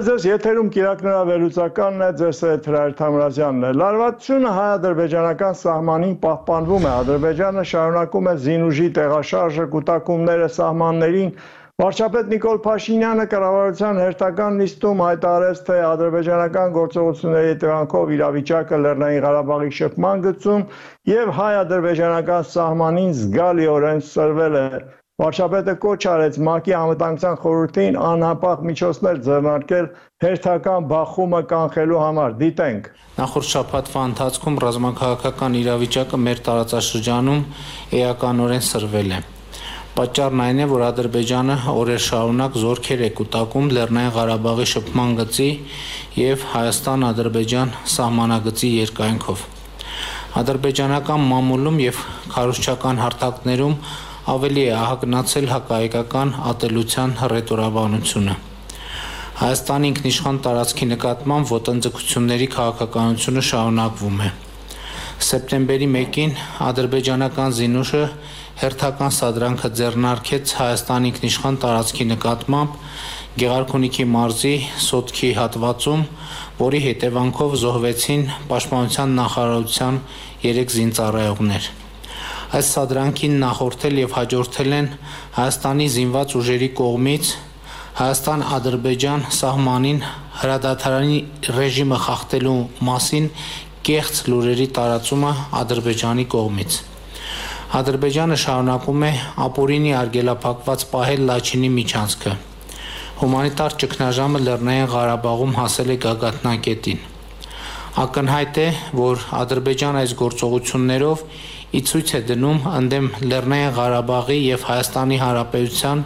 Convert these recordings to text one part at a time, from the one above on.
ձեզ եթերում Կիրակնրա վերլուծականն է, ձեզ հետ Հրայր Թամրազյանն է։ Լարվածությունը հայ-ադրբեջանական սահմանին պահպանվում է։ Ադրբեջանը շարունակում է զինուժի տեղաշարժը, կուտակումները սահմաններին։ Վարչապետ Նիկոլ Փաշինյանը կառավարության հերթական նիստում հայտարարեց, թե ադրբեջանական գործողությունների հետևանքով իրավիճակը Լեռնային Ղարաբաղի շփման գծում եւ հայ-ադրբեջանական սահմանին զգալիորեն սրվել է։ Վարչապետը կոչ արեց ՄԱԿ-ի անվտանգության խորհրդին անհապաղ միջոցներ ձեռնարկել հերթական բախումը կանխելու համար։ Դիտենք։ Նախորդ շաբաթվա ընթացքում ռազմաքաղաքական իրավիճակը մեր տարածաշրջանում էականորեն սրվել է։ Պատճառն այն է, որ Ադրբեջանը օրեր շարունակ զորքեր է կուտակում Լեռնային Ղարաբաղի շփման գծի եւ Հայաստան-Ադրբեջան սահմանագծի երկայնքով։ Ադրբեջանական մամուլում եւ քարոզչական հարթակներում ավելի է ահագնացել հակահայկական ատելության հռետորաբանությունը։ Հայաստանի ինքնիշխան տարածքի նկատմամբ ոտնձգությունների քաղաքականությունը շարունակվում է։ Սեպտեմբերի 1-ին ադրբեջանական զինուշը հերթական սադրանքը ձեռնարկեց Հայաստանի ինքնիշխան տարածքի նկատմամբ Գեղարքունիքի մարզի Սոտքի հատվածում, որի հետևանքով զոհվեցին Պաշտպանության նախարարության 3 զինծառայողներ։ Այս սադրանքին նախորդել եւ հաջորդել են Հայաստանի զինված ուժերի կողմից Հայաստան-Ադրբեջան սահմանին հրադադարանի ռեժիմը խախտելու մասին կեղծ լուրերի տարածումը Ադրբեջանի կողմից։ Ադրբեջանը շարունակում է ապօրինի արգելափակված պահել Լաչինի միջանցքը։ Հումանիտար ճգնաժամը Լեռնային Ղարաբաղում հասել է գագաթնակետին։ Ակնհայտ է, որ Ադրբեջանը այս գործողություններով ի ցույց է դնում ընդդեմ Լեռնային Ղարաբաղի եւ Հայաստանի Հանրապետության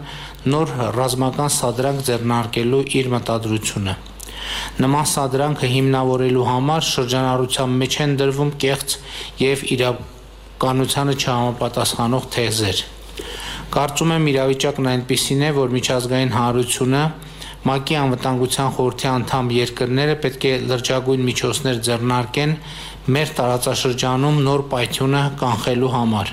նոր ռազմական սադրանք ձեռնարկելու իր մտադրությունը։ Նման սադրանքը հիմնավորելու համար շրջանառության մեջ են դրվում կեղծ եւ իրականությանը չհամապատասխանող թեզեր։ Կարծում եմ իրավիճակն այնպիսին է, որ միջազգային հանրությունը ՄԱԿ-ի անվտանգության խորհրդի անդամ երկրները պետք է լրջագույն միջոցներ ձեռնարկեն մեր տարածաշրջանում նոր պայթյունը կանխելու համար։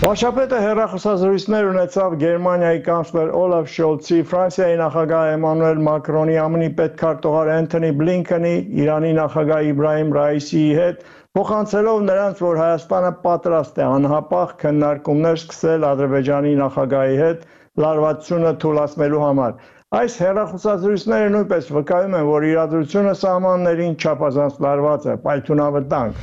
Վարչապետը հեռախոսազրույցներ ունեցավ Գերմանիայի կանցլեր Օլաֆ Շոլցի, Ֆրանսիայի նախագահ Էմանուել Մակրոնի, ԱՄՆ-ի պետքարտուղար Էնթոնի Բլինքենի, Իրանի նախագահ Իբրահիմ Ռայիսիի հետ, փոխանցելով նրանց, որ Հայաստանը պատրաստ է անհապաղ քննարկումներ սկսել Ադրբեջանի նախագահի հետ լարվածությունը թույլատնելու համար։ Այս հեռախոսազրույցները նույնպես վկայում են, որ իրադրությունը սահմաններին չափազանց լարված է, պայթյունավտանգ։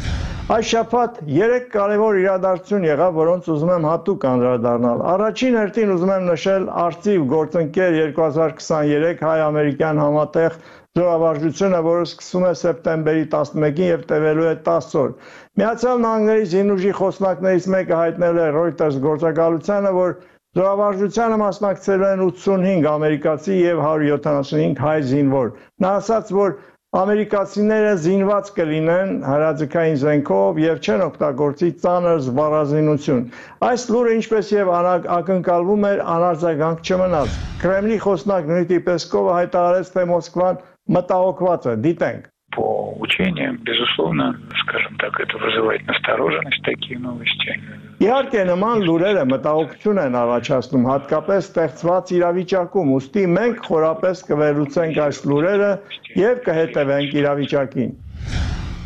Այս շաբաթ 3 կարևոր իրադարձություն եղավ, որոնց ուզում եմ հատուկ անդրադառնալ։ Առաջին հերթին ուզում եմ նշել Արծիվ գործընկեր 2023 հայ-ամերիկյան համատեղ զորավարժությունը, որը սկսվում է սեպտեմբերի 11-ին եւ տևելու է 10 օր։ Միացյալ Նահանգների զինուժի խոսնակներից մեկը հայտնել է Reuters գործակալությանը, որ զորավարժությանը մասնակցելու են 85 ամերիկացի եւ 175 հայ զինվոր։ Նա ասաց, որ ամերիկացիները զինված կլինեն հրաձգային զենքով եւ չեն օգտագործի ծանր զբաղազինություն։ Այս լուրը ինչպես եւ ակնկալվում էր անարձագանք չմնաց։ Կրեմլի խոսնակ Դմիտրի Պեսկովը հայտարարեց, թե Մոսկվան մտահոգված է։ Դիտենք։ По учениям, безусловно, скажем так, это вызывает настороженность, такие новости. Իհարկե նման լուրերը մտահոգություն են առաջացնում, հատկապես ստեղծված իրավիճակում, ուստի մենք խորապես կվերլուծենք այս լուրերը եւ կհետևենք իրավիճակին։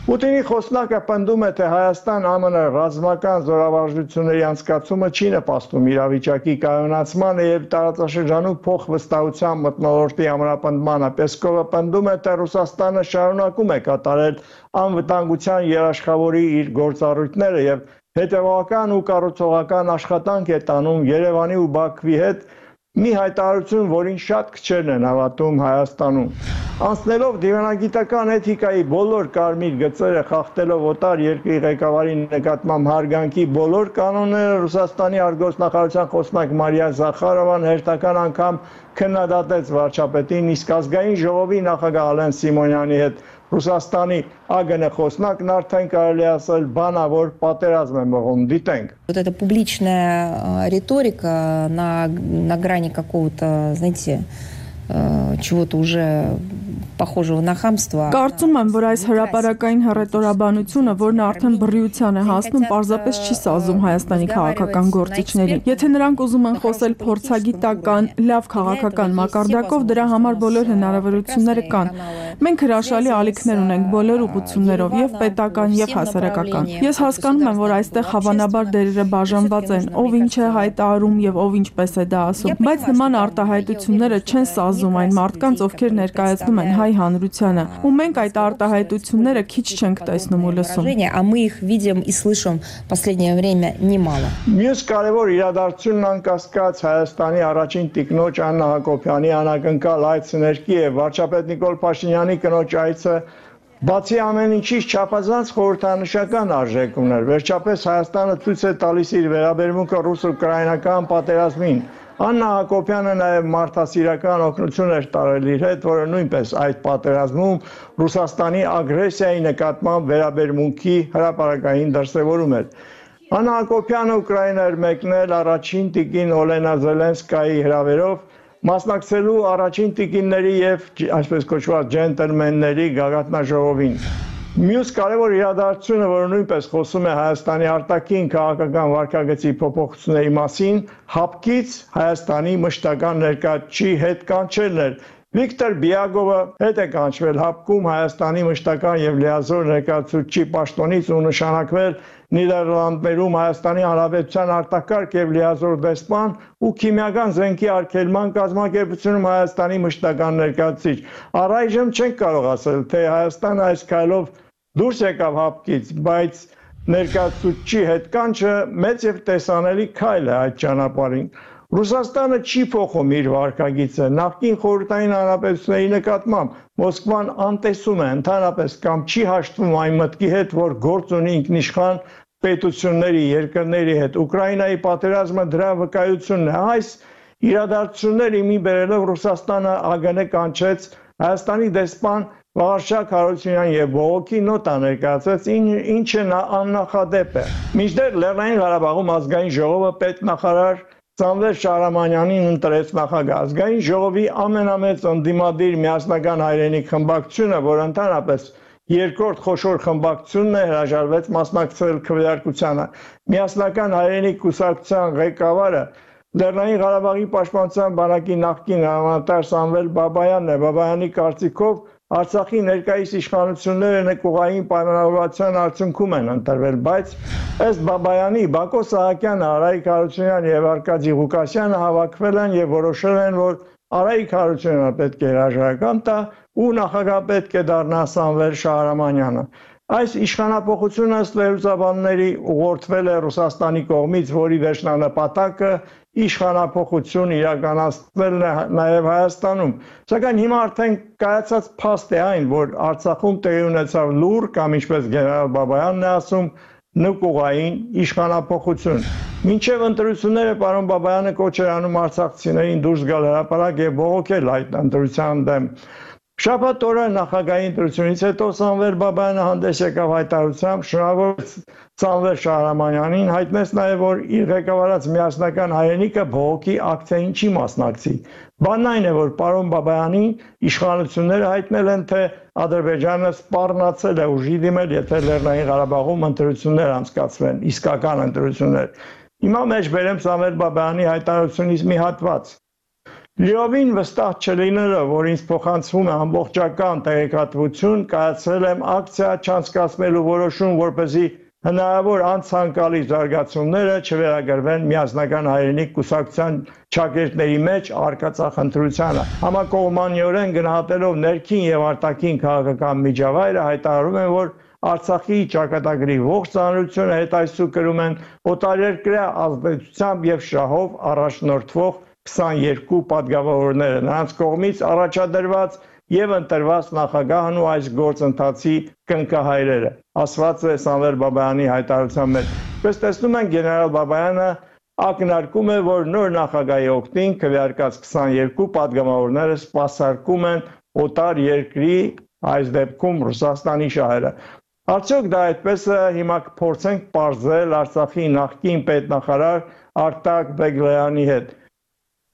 Պուտինի խոսնակը պնդում է, թե Հայաստան-ԱՄՆ ռազմական զորավարժությունների անցկացումը չի նպաստում իրավիճակի կայունացմանը եւ տարածաշրջանում փոխվստահության մթնոլորտի ամրապնդմանը։ Պեսկովը պնդում է, թե Ռուսաստանը շարունակում է կատարել անվտանգության երաշխավորի իր գործառույթները եւ հետևողական ու կառուցողական աշխատանք է տանում Երևանի ու Բաքվի հետ մի հայտարարություն, որին շատ քչերն են հավատում Հայաստանում։ Անցնելով դիվանագիտական էթիկայի բոլոր կարմիր գծերը, խախտելով օտար երկրի ղեկավարի նկատմամբ հարգանքի բոլոր կանոնները, Ռուսաստանի արտգործնախարարության խոսնակ Մարիա Զախարովան հերթական անգամ քննադատեց վարչապետին, իսկ ազգային ժողովի նախագահ Ալեն Սիմոնյանի հետ Ռուսաստանի ԱԳՆ խոսնակն արդեն կարելի ասել բանավոր պատերազմ է մղում։ Դիտենք։ Вот эта публичная риторика на грани какого-то, знаете, чего-то уже похожего на хамство. Կարծում եմ, որ այս հրապարակային հռետորաբանությունը, որն արդեն բռիության է հասնում, պարզապես չի սազում Հայաստանի քաղաքական գործիչներին։ Եթե նրանք ուզում են խոսել փորձագիտական, լավ քաղաքական մակարդակով, դրա համար բոլոր հնարավորությունները կան։ Մենք հրաշալի ալիքներ ունենք բոլոր ուղղություններով, եւ պետական, եւ հասարակական։ Ես հասկանում եմ, որ այստեղ հավանաբար դերերը բաժանված են, ով ինչ է հայտարարում եւ ով ինչպես է դա ասում, բայց նման արտահայտությունները չեն սազում այն մարդկանց, ովքեր ներկայացնում են հայ հանրությանը, ու մենք այդ արտահայտությունները քիչ չենք տեսնում ու լսում։ А мы их видим и слышим в последнее время немало. Մյուս կարևոր իրադարձությունն անկասկած Հայաստանի առաջին տիկնոջ Աննա Հակոբյանի անակնկալ այցը ներքի է վարչապետ Նիկոլ Փաշինյանի կնոջ այցը բացի ամեն ինչից չափազանց խորհրդանշական արժեք ուներ։ Վերջապես Հայաստանը ցույց է տալիս իր վերաբերմունքը ռուս-ուկրաինական պատերազմին։ Աննա Հակոբյանը նաև մարդասիրական օգնություն էր տարել իր հետ, որը նույնպես այդ պատերազմում Ռուսաստանի ագրեսիայի նկատմամբ վերաբերմունքի հրապարակային դրսևորում էր։ Աննա Հակոբյանը Ուկրաինա էր մեկնել առաջին տիկին Օլենա Զելենսկայի հրավերով, մասնակցելու առաջին տիկինների եւ այսպես կոչված ջենտլմենների գագաթնաժողովին։ Մյուս կարևոր իրադարձությունը, որը նույնպես խոսում է Հայաստանի արտաքին քաղաքական վարքագծի փոփոխությունների մասին, հապկից Հայաստանի մշտական ներկայացուցիչի հետ կանչելն էր։ Վիկտոր Բիագովը հետ է կանչվել հապկում Հայաստանի մշտական եւ լիազոր ներկայացուցիչի պաշտոնից ու նշանակվել Նիդերլանդներում Հայաստանի Հանրապետության արտակարգ եւ լիազոր դեսպան ու քիմիական զենքի արգելման կազմակերպությունում Հայաստանի մշտական ներկայացուցիչ։ Առայժմ չենք կարող ասել, թե Հայաստանը այս քայլով դուրս եկավ հապկից, բայց ներկայացուցիչի հետ կանչը մեծ եւ տեսանելի քայլ է այդ ճանապարհին։ Ռուսաստանը չի փոխում իր վարկագիծը, նախկին խորհրդային հանրապետությունների նկատմամբ Մոսկվան անտեսում է ընդհանրապես կամ չի հաշտվում այն մտքի հետ, որ գործ ունի ինքնիշխան պետությունների, երկրների հետ։ Ուկրաինայի պատերազմը դրա վկայությունն է։ Այս իրադարձությունները մի բերելով Ռուսաստանը ԱԳՆ կանչեց Հայաստանի դեսպան Վաղարշակ Հարությունյան եւ բողոքի նոտա ներկայացրեց, ինչը աննախադեպ է։ Մինչդեռ Լեռնային Ղարաբաղում ազգային ժողովը պետնախարար Սամվել Շահրամանյանին ընտրեց նախագահ։ Ազգային ժողովի ամենամեծ ընդդիմադիր միասնական հայրենիք խմբակցությունը, որ ընդհանրապես երկրորդ խոշոր խմբակցությունն է, հրաժարվեց մասնակցել քվեարկությանը։ Միասնական հայրենիք կուսակցության ղեկավարը Լեռնային Ղարաբաղի պաշտպանության բանակի նախկին հրամանատար Սամվել Բաբայանն է։ Բաբայանի կարծիքով Արցախի ներկայիս իշխանությունները նկուղային պայմանավորվածության արդյունքում են ընտրվել, բայց ըստ Բաբայանի Բակո Սահակյանը, Արայիկ Հարությունյանը եւ Արկադի Ղուկասյանը հավաքվել են եւ որոշել են, որ Արայիկ Հարությունյանը պետք է հրաժարական տա ու նախագահ պետք է դառնա Սամվել Շահրամանյանը։ Այս իշխանապողությունը ըստ վերլուծաբանների ուղղորդվել է Ռուսաստանի կողմից, որի վերջնանպատակը իշխանապողություն իրականացնելն է նաև Հայաստանում։ Սակայն հիմա արդեն կայացած փաստ է այն, որ Արցախում տեղի ունեցավ լուր կամ ինչպես գեներալ Բաբայանն է ասում, նկուղային իշխանապողություն։ Մինչև ընտրությունները պարոն Բաբայանը կոչ էր անում արցախցիներին դուրս գալ հրապարակ եւ բողոքել այդ ընտրության դեմ։ Շաբաթ օրը նախագահի ընտրությունից հետո Սամվել Բաբայանը հանդես եկավ հայտարարությամբ, շնորհավորեց Սամվել Շահրամանյանին, հայտնեց նաև, որ իր ղեկավարած միասնական հայրենիքը բողոքի ակցիային չի մասնակցի։ Բանն այն է, որ պարոն Բաբայանին իշխանությունները հայտնել են, թե Ադրբեջանը սպառնացել է ուժի դիմել, եթե Լեռնային Ղարաբաղում ընտրություններ անցկացվեն, իսկական ընտրություններ։ Հիմա մեջ բերեմ Սամվել Բաբայանի հայտարարությունից մի հատված։ Լիովին վստահ չլինելով, որ ինձ փոխանցվում է ամբողջական տեղեկատվություն, կայացրել եմ ակցիա չանցկացնելու որոշում, որպեսզի հնարավոր անցանկալի զարգացումները չվերագրվեն միասնական հայրենիք կուսակցության ճակերտների մեջ արկածախ ընտրությանը։ Համակողմանիորեն գնահատելով ներքին եւ արտաքին քաղաքական միջավայրը հայտարարում են, որ Արցախի ճակատագրի ողջ ծանրությունը հետայսու կրում են օտարերկրյա ազդեցությամբ եւ շահով առաջնորդվող 22 պատգամավորները, նրանց կողմից առաջադրված եւ ընտրված նախագահն ու այս գործընթացի կնքահայրերը, ասված է Սամվել Բաբայանի հայտարարության մեջ։ Պես տեսնում են, գեներալ Բաբայանը ակնարկում է, որ նոր նախագահի օգտին քվեարկած 22 պատգամավորները սպասարկում են օտար երկրի, այս դեպքում Ռուսաստանի շահերը։ Արդյոք դա այդպես է, հիմա կփորձենք պարզել Արցախի նախկին պետնախարար Արտակ Բեգլայանի հետ։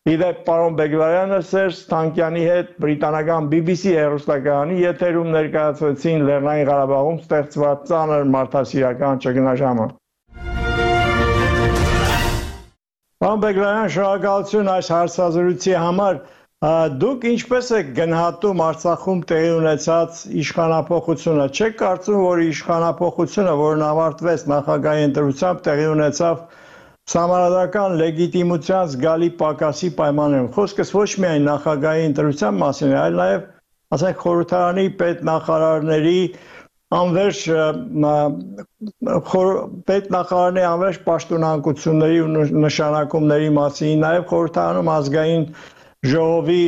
Իդեպ պարոն Բեգլարյանը Սերժ Թանկյանի հետ բրիտանական BBC հեռուստակայանի եթերում ներկայացրեցին Լեռնային Ղարաբաղում ստեղծված ծանր մարդասիրական ճգնաժամը։ Պարոն Բեգլարյան, շնորհակալություն այս հարցազրույցի համար։ Դուք ինչպես եք գնահատում Արցախում տեղի ունեցած իշխանափոխությունը։ Չեք կարծում, որ իշխանափոխությունը, որն ավարտվեց նախագահի ընտրությամբ, տեղի ունեցավ Սահմանադրական լեգիտիմության զգալի պակասի պայմաններում։ Խոսքս ոչ միայն նախագահի ընտրության մասին է, այլ նաև, ասենք, խորհրդարանի պետնախարարների անվերջ պաշտոնանկությունների ու նշանակումների մասին, նաև խորհրդարանում ազգային ժողովի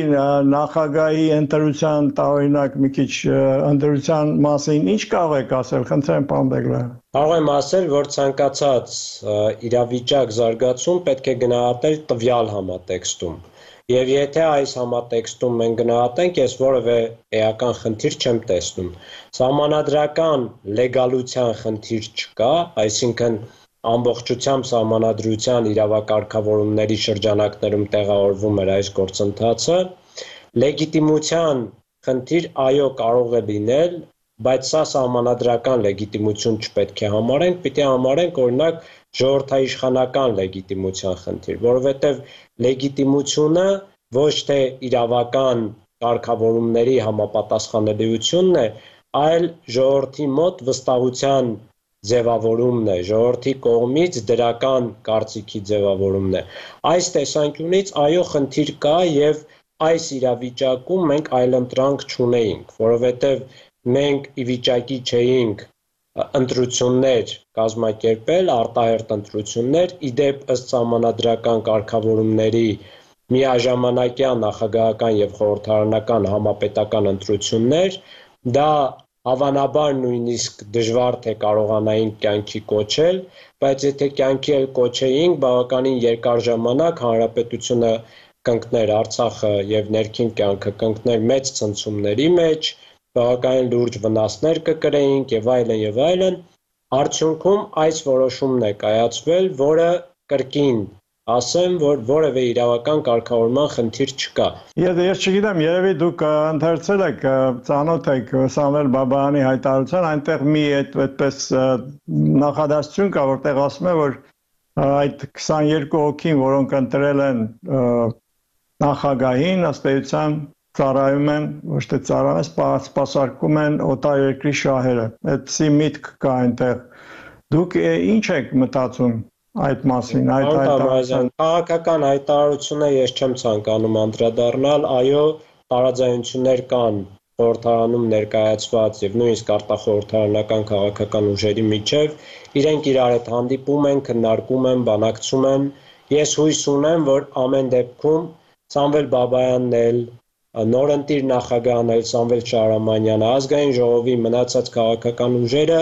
նախագահի ընտրության տարօրինակ մի քիչ ընտրության մասին ինչ կարող եք ասել, խնդրեմ, պարոն Բեգլարյան։ Կարող եմ ասել, որ ցանկացած իրավիճակ զարգացում պետք է գնահատել տվյալ համատեքստում։ Եվ եթե այս համատեքստում մենք գնահատենք, ես որևէ էական խնդիր չեմ տեսնում։ Սահմանադրական լեգալության խնդիր չկա, այսինքն ամբողջությամբ սահմանադրության իրավակարգավորումների շրջանակներում տեղավորվում էր այս գործընթացը, լեգիտիմության խնդիր այո կարող է լինել, բայց սա սահմանադրական լեգիտիմություն չպետք է համարենք, պիտի համարենք օրինակ ժողովրդաիշխանական լեգիտիմության խնդիր, որովհետև լեգիտիմությունը ոչ թե իրավական կարգավորումների համապատասխանելիությունն է, այլ ժողովրդի մոտ վստահության ձևավորումն է, ժողովրդի կողմից դրական կարծիքի ձևավորումն է։ Այս տեսանկյունից այո խնդիր կա եւ այս իրավիճակում մենք այլընտրանք չունեինք, որովհետեւ մենք ի վիճակի չէինք ընտրություններ կազմակերպել, արտահերթ ընտրություններ, իդեպ ըստ սահմանադրական կարգավորումների միաժամանակյա նախագահական եւ խորհրդարանական համապետական ընտրություններ, դա հավանաբար նույնիսկ դժվար թե կարողանայինք կյանքի կոչել, բայց եթե կյանքի էլ կոչեինք, բավականին երկար ժամանակ հանրապետությունը կընկներ Արցախը եւ ներքին կյանքը կընկներ մեծ ցնցումների մեջ, բավականին լուրջ վնասներ կկրեինք եւ այլն եւ այլն, արդյունքում այս որոշումն է կայացվել, որը կրկին ասեմ, որ որևէ իրավական կարգավորման խնդիր չկա։ Ես չգիտեմ, երևի դուք ընթերցել եք, ծանոթ եք Սամվել Բաբայանի հայտարարության, այնտեղ մի այդպես նախադասություն կա, որտեղ ասում է, որ այդ 22 հոգին, որոնք ընտրել են նախագահին, ըստ էության ծառայում են, ոչ թե ծառայում, սպասարկում են օտարերկրի շահերը։ Այդպիսի միտք կա այնտեղ։ Դուք ինչ եք մտածում այդ մասին, այդ հայտարարության։ Քաղաքական հայտարարությունը ես չեմ ցանկանում անդրադառնալ, այո, տարաձայնություններ կան խորհրդարանում ներկայացված եւ նույնիսկ արտախորհրդարանական քաղաքական ուժերի միջև, իրենք իրար հետ հանդիպում են, քննարկում են, բանակցում են։ Ես հույս ունեմ, որ ամեն դեպքում Սամվել Բաբայանն էլ, նորընտիր նախագահն էլ Սամվել Շահրամանյանը, ազգային ժողովի մնացած քաղաքական ուժերը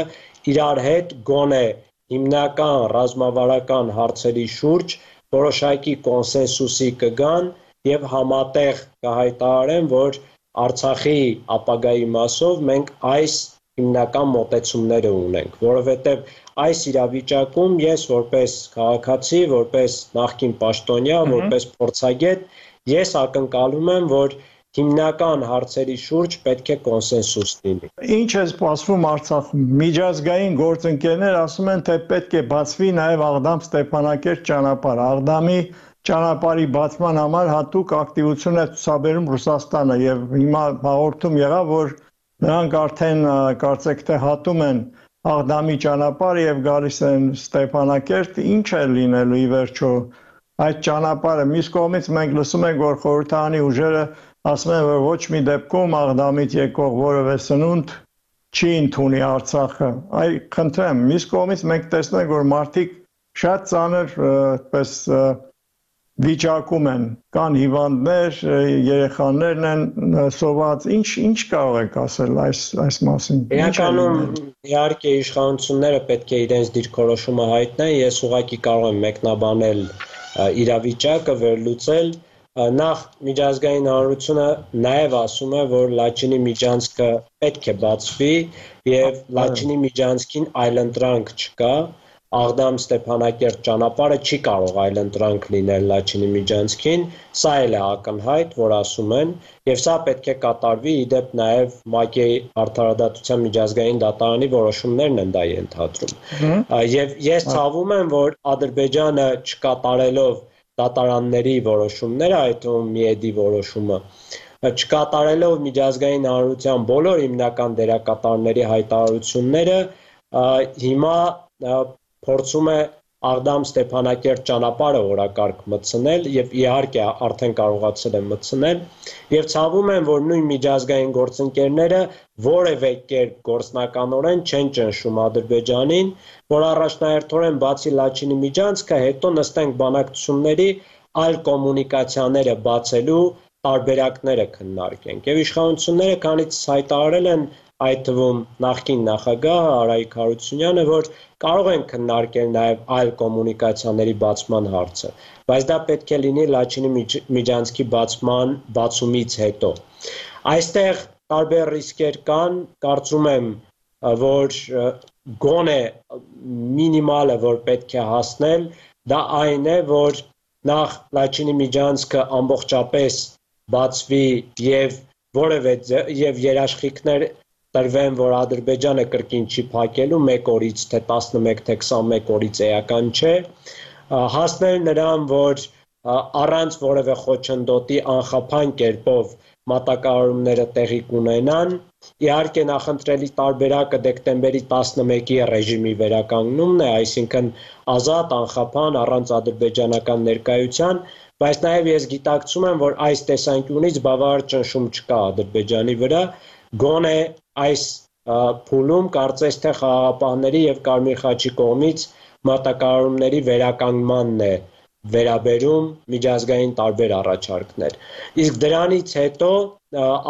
իրար հետ գոնե հիմնական ռազմավարական հարցերի շուրջ որոշակի կոնսենսուսի կգան եւ համատեղ կհայտարարեն, որ Արցախի ապագայի մասով մենք այս հիմնական մոտեցումները ունենք, որովհետեւ այս իրավիճակում ես որպես քաղաքացի, որպես նախկին պաշտոնյա, որպես փորձագետ, ես ակնկալում եմ, որ հիմնական հարցերի շուրջ պետք է կոնսենսուս լինի։ Ինչ է սպասվում Արցախում։ Միջազգային գործընկերներ ասում են, թե պետք է բացվի նաև Աղդամ-Ստեփանակերտ ճանապարհ։ Աղդամի ճանապարհի բացման համար հատուկ ակտիվություն է ցուցաբերում Ռուսաստանը եւ հիմա հաղորդում եղավ, որ նրանք արդեն կարծեք թե հատում են Աղդամի ճանապարհը եւ գալիս են Ստեփանակերտ, ինչ է լինելու ի վերջո այդ ճանապարհը։ Մյուս կողմից մենք լսում ենք, որ խորհրդարանի ուժերը ասում են, որ ոչ մի դեպքում Աղդամից եկող որևէ սնունդ չի ընդունի Արցախը։ Այ խնդրեմ, մյուս կողմից մենք տեսնում ենք, որ մարդիկ շատ ծանր այդպես վիճակում են, կան հիվանդներ, երեխաներն են սոված, ինչ կարող եք ասել այս մասին։ Իրականում իհարկե իշխանությունները պետք է իրենց դիրքորոշումը հայտնեն, ես ուղղակի կարող եմ մեկնաբանել իրավիճակը, վերլուծել։ Նախ միջազգային հանրությունը նաև ասում է, որ Լաչինի միջանցքը պետք է բացվի եւ Լաչինի միջանցքին այլընտրանք չկա, Աղդամ-Ստեփանակերտ ճանապարհը չի կարող այլընտրանք լինել Լաչինի միջանցքին, սա էլ է ակնհայտ, որ ասում են, եւ սա պետք է կատարվի իդեպ նաեւ ՄԱԿ-ի Արդարադատության միջազգային դատարանի որոշումներն են դա ենթադրում։ Եվ ես ցավում եմ, որ Ադրբեջանը չկատարելով դատարանների որոշումները, այդ թվում Միեդի որոշումը, չկատարելով միջազգային հանրության բոլոր հիմնական դերակատարների հայտարարությունները, հիմա փորձում է Աղդամ-Ստեփանակերտ ճանապարհը օրակարգ մտցնել եւ իհարկե արդեն կարողացել է մտցնել եւ ցավում եմ, որ նույն միջազգային գործընկերները որևէ կերպ գործնականորեն չեն ճնշում Ադրբեջանին, որ առաջնահերթորեն բացի Լաչինի միջանցքը հետո նստենք բանակցությունների այլ կոմունիկացիաները բացելու տարբերակները քննարկենք եւ իշխանությունները քանից հայտարարել են այդ թվում նախկին նախագահ Արայիկ Հարությունյանը, որ կարող են քննարկել նաև այլ կոմունիկացիաների բացման հարցը, բայց դա պետք է լինի Լաչինի միջանցքի բացումից հետո։ Այստեղ տարբեր ռիսկեր կան, կարծում եմ, որ գոնե մինիմալը, որ պետք է հասնել, դա այն է, որ նախ Լաչինի միջանցքը ամբողջապես բացվի եւ որևէ եւ երաշխիքներ տրվեն, որ Ադրբեջանը կրկին չի փակելու 1 օրից թե 11 թե 21 օրից էական չէ, հասնել նրան, որ առանց որևէ խոչընդոտի անխափան կերպով մատակարարումները տեղի կունենան, իհարկե նախընտրելի տարբերակը դեկտեմբերի 11-ի ռեժիմի վերականգնումն է, այսինքն ազատ, անխափան, առանց ադրբեջանական ներկայության, բայց նաև ես գիտակցում եմ, որ այս տեսանկյունից բավարար ճնշում չկա Ադրբեջանի վրա, գոնե այս փուլում կարծես թե խաղաղապահների եւ Կարմիր խաչի կողմից մատակարարումների վերականգնմանն է վերաբերում միջազգային տարբեր առաջարկներ։ Իսկ դրանից հետո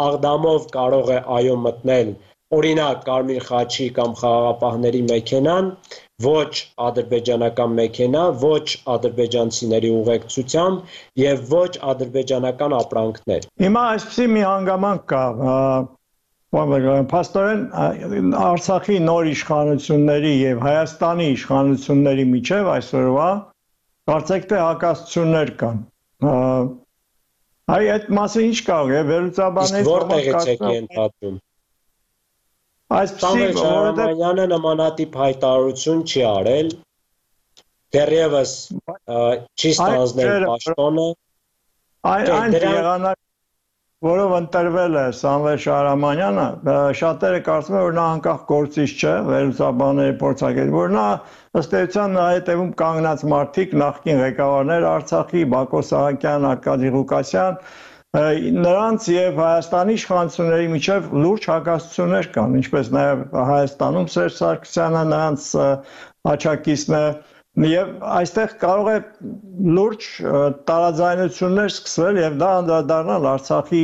Աղդամով կարող է այո մտնել օրինակ Կարմիր խաչի կամ խաղաղապահների մեքենան, ոչ ադրբեջանական մեքենա, ոչ ադրբեջանցիների ուղեկցությամբ եւ ոչ ադրբեջանական ապրանքներ։ Հիմա այսպեսի մի հանգամանք կա, փաստորեն Արցախի նոր իշխանությունների եւ Հայաստանի իշխանությունների միջև այսօրվա կարծեք թե հակասություններ կան։ Այդ մասին ինչ կարող է վերլուծաբանել որտեղից եք ենթադրում։ Այսպեսի Շահրամանյանը նմանատիպ հայտարարություն չի արել, դեռևս չի ստանձնել պաշտոնը։ Այն եղանակ որով ընտրվել է Սամվել Շահրամանյանը, շատերը կարծում են, որ նա անկախ գործիչ չէ, վերլուծաբանների փորձագետ, որ նա ըստ էության նրա հետևում կանգնած մարդիկ, նախկին ղեկավարներ Արցախի, Բակո Սահակյան, Արկադի Ղուկասյան, նրանց եւ Հայաստանի իշխանությունների միջև լուրջ հակասություններ կան, ինչպես նաեւ Հայաստանում Սերժ Սարգսյանը նրանց աջակիցն է, եւ այստեղ կարող է լուրջ տարաձայնություններ սկսվել եւ դա անդրադառնալ Արցախի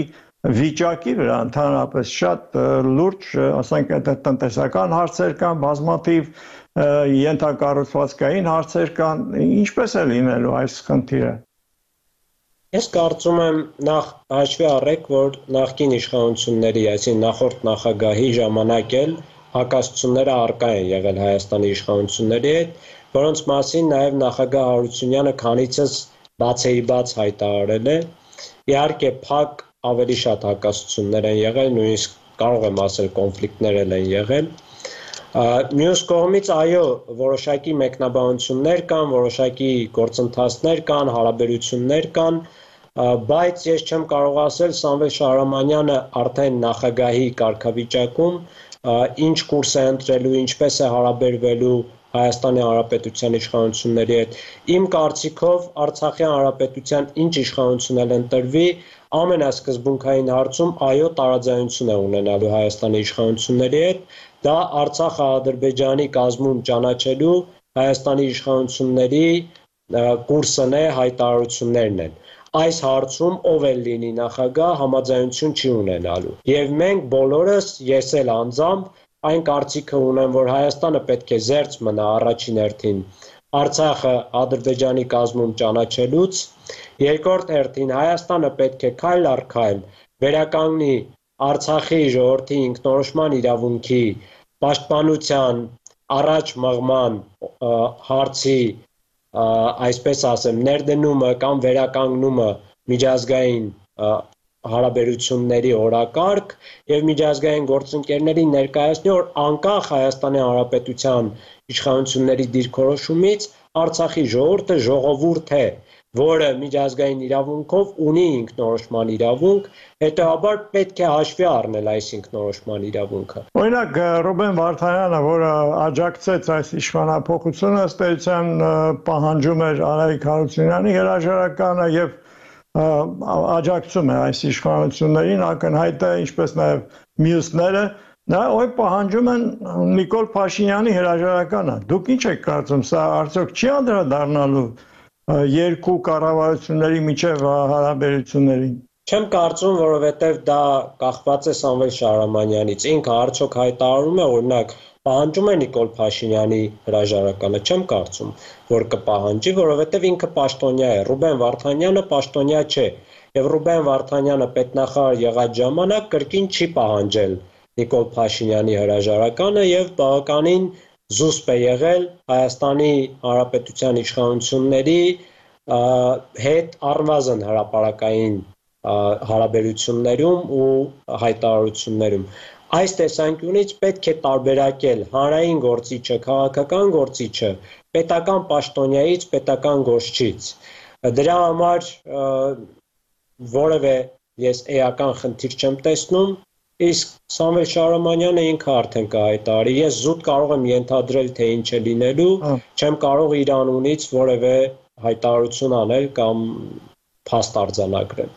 վիճակի վրա ընդհանրապես շատ լուրջ, ասենք, տնտեսական հարցեր կան, բազմաթիվ ենթակառուցվածքային հարցեր կան, ինչպես է լինելու այս խնդիրը։ Ես կարծում եմ նախ հաշվի առեք, որ նախկին իշխանությունների, այսինքն նախորդ նախագահի ժամանակ էլ հակասությունները առկա են եղել Հայաստանի իշխանությունների հետ, որոնց մասին նաև նախագահ Հարությունյանը քանիցս բացեիբաց հայտարարել է։ Իհարկե փակ ավելի շատ հակասություններ են եղել, նույնիսկ կարող եմ ասել կոնֆլիկտներ են եղել։ Մյուս կողմից այո, որոշակի մեկնաբանություններ կան, որոշակի գործընթացներ կան, հարաբերություններ կան, բայց ես չեմ կարող ասել Սամվել Շահրամանյանը արդեն նախագահի կարգավիճակում ինչ կուրս է ընտրելու, ինչպես է հարաբերվելու Հայաստանի Հանրապետության իշխանությունների հետ։ Իմ կարծիքով Արցախի Հանրապետության ինչ իշխանություն էլ ընտրվի, ամենասկզբունքային հարցում այո տարաձայնություն է ունենալու Հայաստանի իշխանությունների հետ, դա Արցախը Ադրբեջանի կազմում ճանաչելու Հայաստանի իշխանությունների կուրսն է, հայտարարություններն են։ Այս հարցում ով էլ լինի նախագահ համաձայնություն չի ունենալու։ Եվ մենք բոլորս, ես էլ անձամբ այն կարծիքը ունեմ, որ Հայաստանը պետք է զերծ մնա առաջին հերթին Արցախը Ադրբեջանի կազմում ճանաչելուց, երկրորդ հերթին Հայաստանը պետք է քայլ առ քայլ վերականգնի Արցախի ժողովրդի ինքնորոշման իրավունքի պաշտպանության առաջ մղման հարցի այսպես ասեմ ներդնումը կամ վերականգնումը միջազգային հարաբերությունների օրակարգ եւ միջազգային գործընկերներին ներկայացնի, որ անկախ Հայաստանի Հանրապետության իշխանությունների դիրքորոշումից Արցախի ժողովուրդը ժողովուրդ է, որը միջազգային իրավունքով ունի ինքնորոշման իրավունք, հետեւաբար պետք է հաշվի առնել այս ինքնորոշման իրավունքը։ Օրինակ Ռուբեն Վարդանյանը, որը աջակցեց այս իշխանափոխությունը, ըստ էության պահանջում էր Արայիկ Հարությունյանի հրաժարականը եւ աջակցում է այս իշխանություններին, ակնհայտ է, ինչպես նաև մյուսները, նա պահանջում են Նիկոլ Փաշինյանի հրաժարականը։ Դուք ինչ եք կարծում, սա արդյոք չի անդրադառնալու երկու կառավարությունների միջև հարաբերություններին։ Չեմ կարծում, որովհետև դա կախված է Սամվել Շահրամանյանից։ Ինքը արդյոք հայտարարում է, օրինակ, պահանջում է Նիկոլ Փաշինյանի հրաժարականը, չեմ կարծում, որ կպահանջի, որովհետև ինքը պաշտոնյա է։ Ռուբեն Վարդանյանը պաշտոնյա չէ, եւ Ռուբեն Վարդանյանը պետնախարար եղած ժամանակ կրկին չի պահանջել Նիկոլ Փաշինյանի հրաժարականը եւ բավականին զուսպ է եղել Հայաստանի Հանրապետության իշխանությունների հետ առնվազն հրապարակային հարաբերություններում ու հայտարարություններում։ Այս տեսանկյունից պետք է տարբերակել հանրային գործիչը, քաղաքական գործիչը պետական պաշտոնյայից, պետական գործչից։ Դրա համար որևէ ես էական խնդիր չեմ տեսնում, իսկ Սամվել Շահրամանյանը ինքը արդեն կհայտարարի։ Ես զուտ կարող եմ ենթադրել, թե ինչ է լինելու, չեմ կարող իր անունից որևէ հայտարարություն անել կամ փաստ արձանագրել։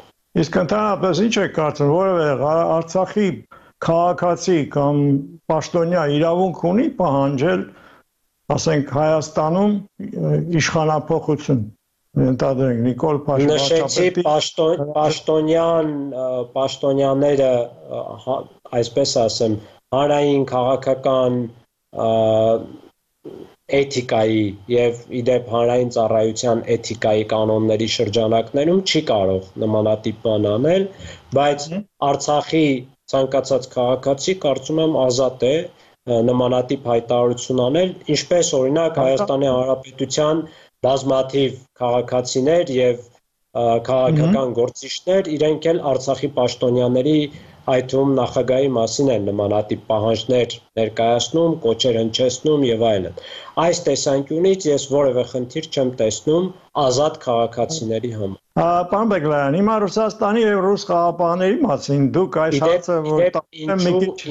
Իսկ ընդհանրապես ինչ եք կարծում, որևէ Արցախի քաղաքացի կամ պաշտոնյա իրավունք ունի պահանջել, ասենք Հայաստանում իշխանափոխություն, ընդհանրենք Նիկոլ Փաշինյանը։ Նշեցի պաշտոնյաները, այսպես ասեմ, հանրային քաղաքական էթիկայի եւ իդեպ հանրային ծառայության էթիկայի կանոնների շրջանակներում չի կարող նմանատիպ բան անել, բայց Արցախի ցանկացած քաղաքացի կարծում եմ ազատ է նմանատիպ հայտարարություն անել, ինչպես օրինակ Հայաստանի Հանրապետության բազմաթիվ քաղաքացիներ եւ քաղաքական գործիչներ իրենք էլ Արցախի պաշտոնյաների այդ թվում նախագահի մասին են նմանատիպ պահանջներ ներկայացնում, կոչեր հնչեցնում եւ այլն։ Այս տեսանկյունից ես որևէ խնդիր չեմ տեսնում ազատ քաղաքացիների համար։ Պարոն Բեգլարյան, հիմա Ռուսաստանի եւ ռուս խաղապահների մասին դուք այս հարցը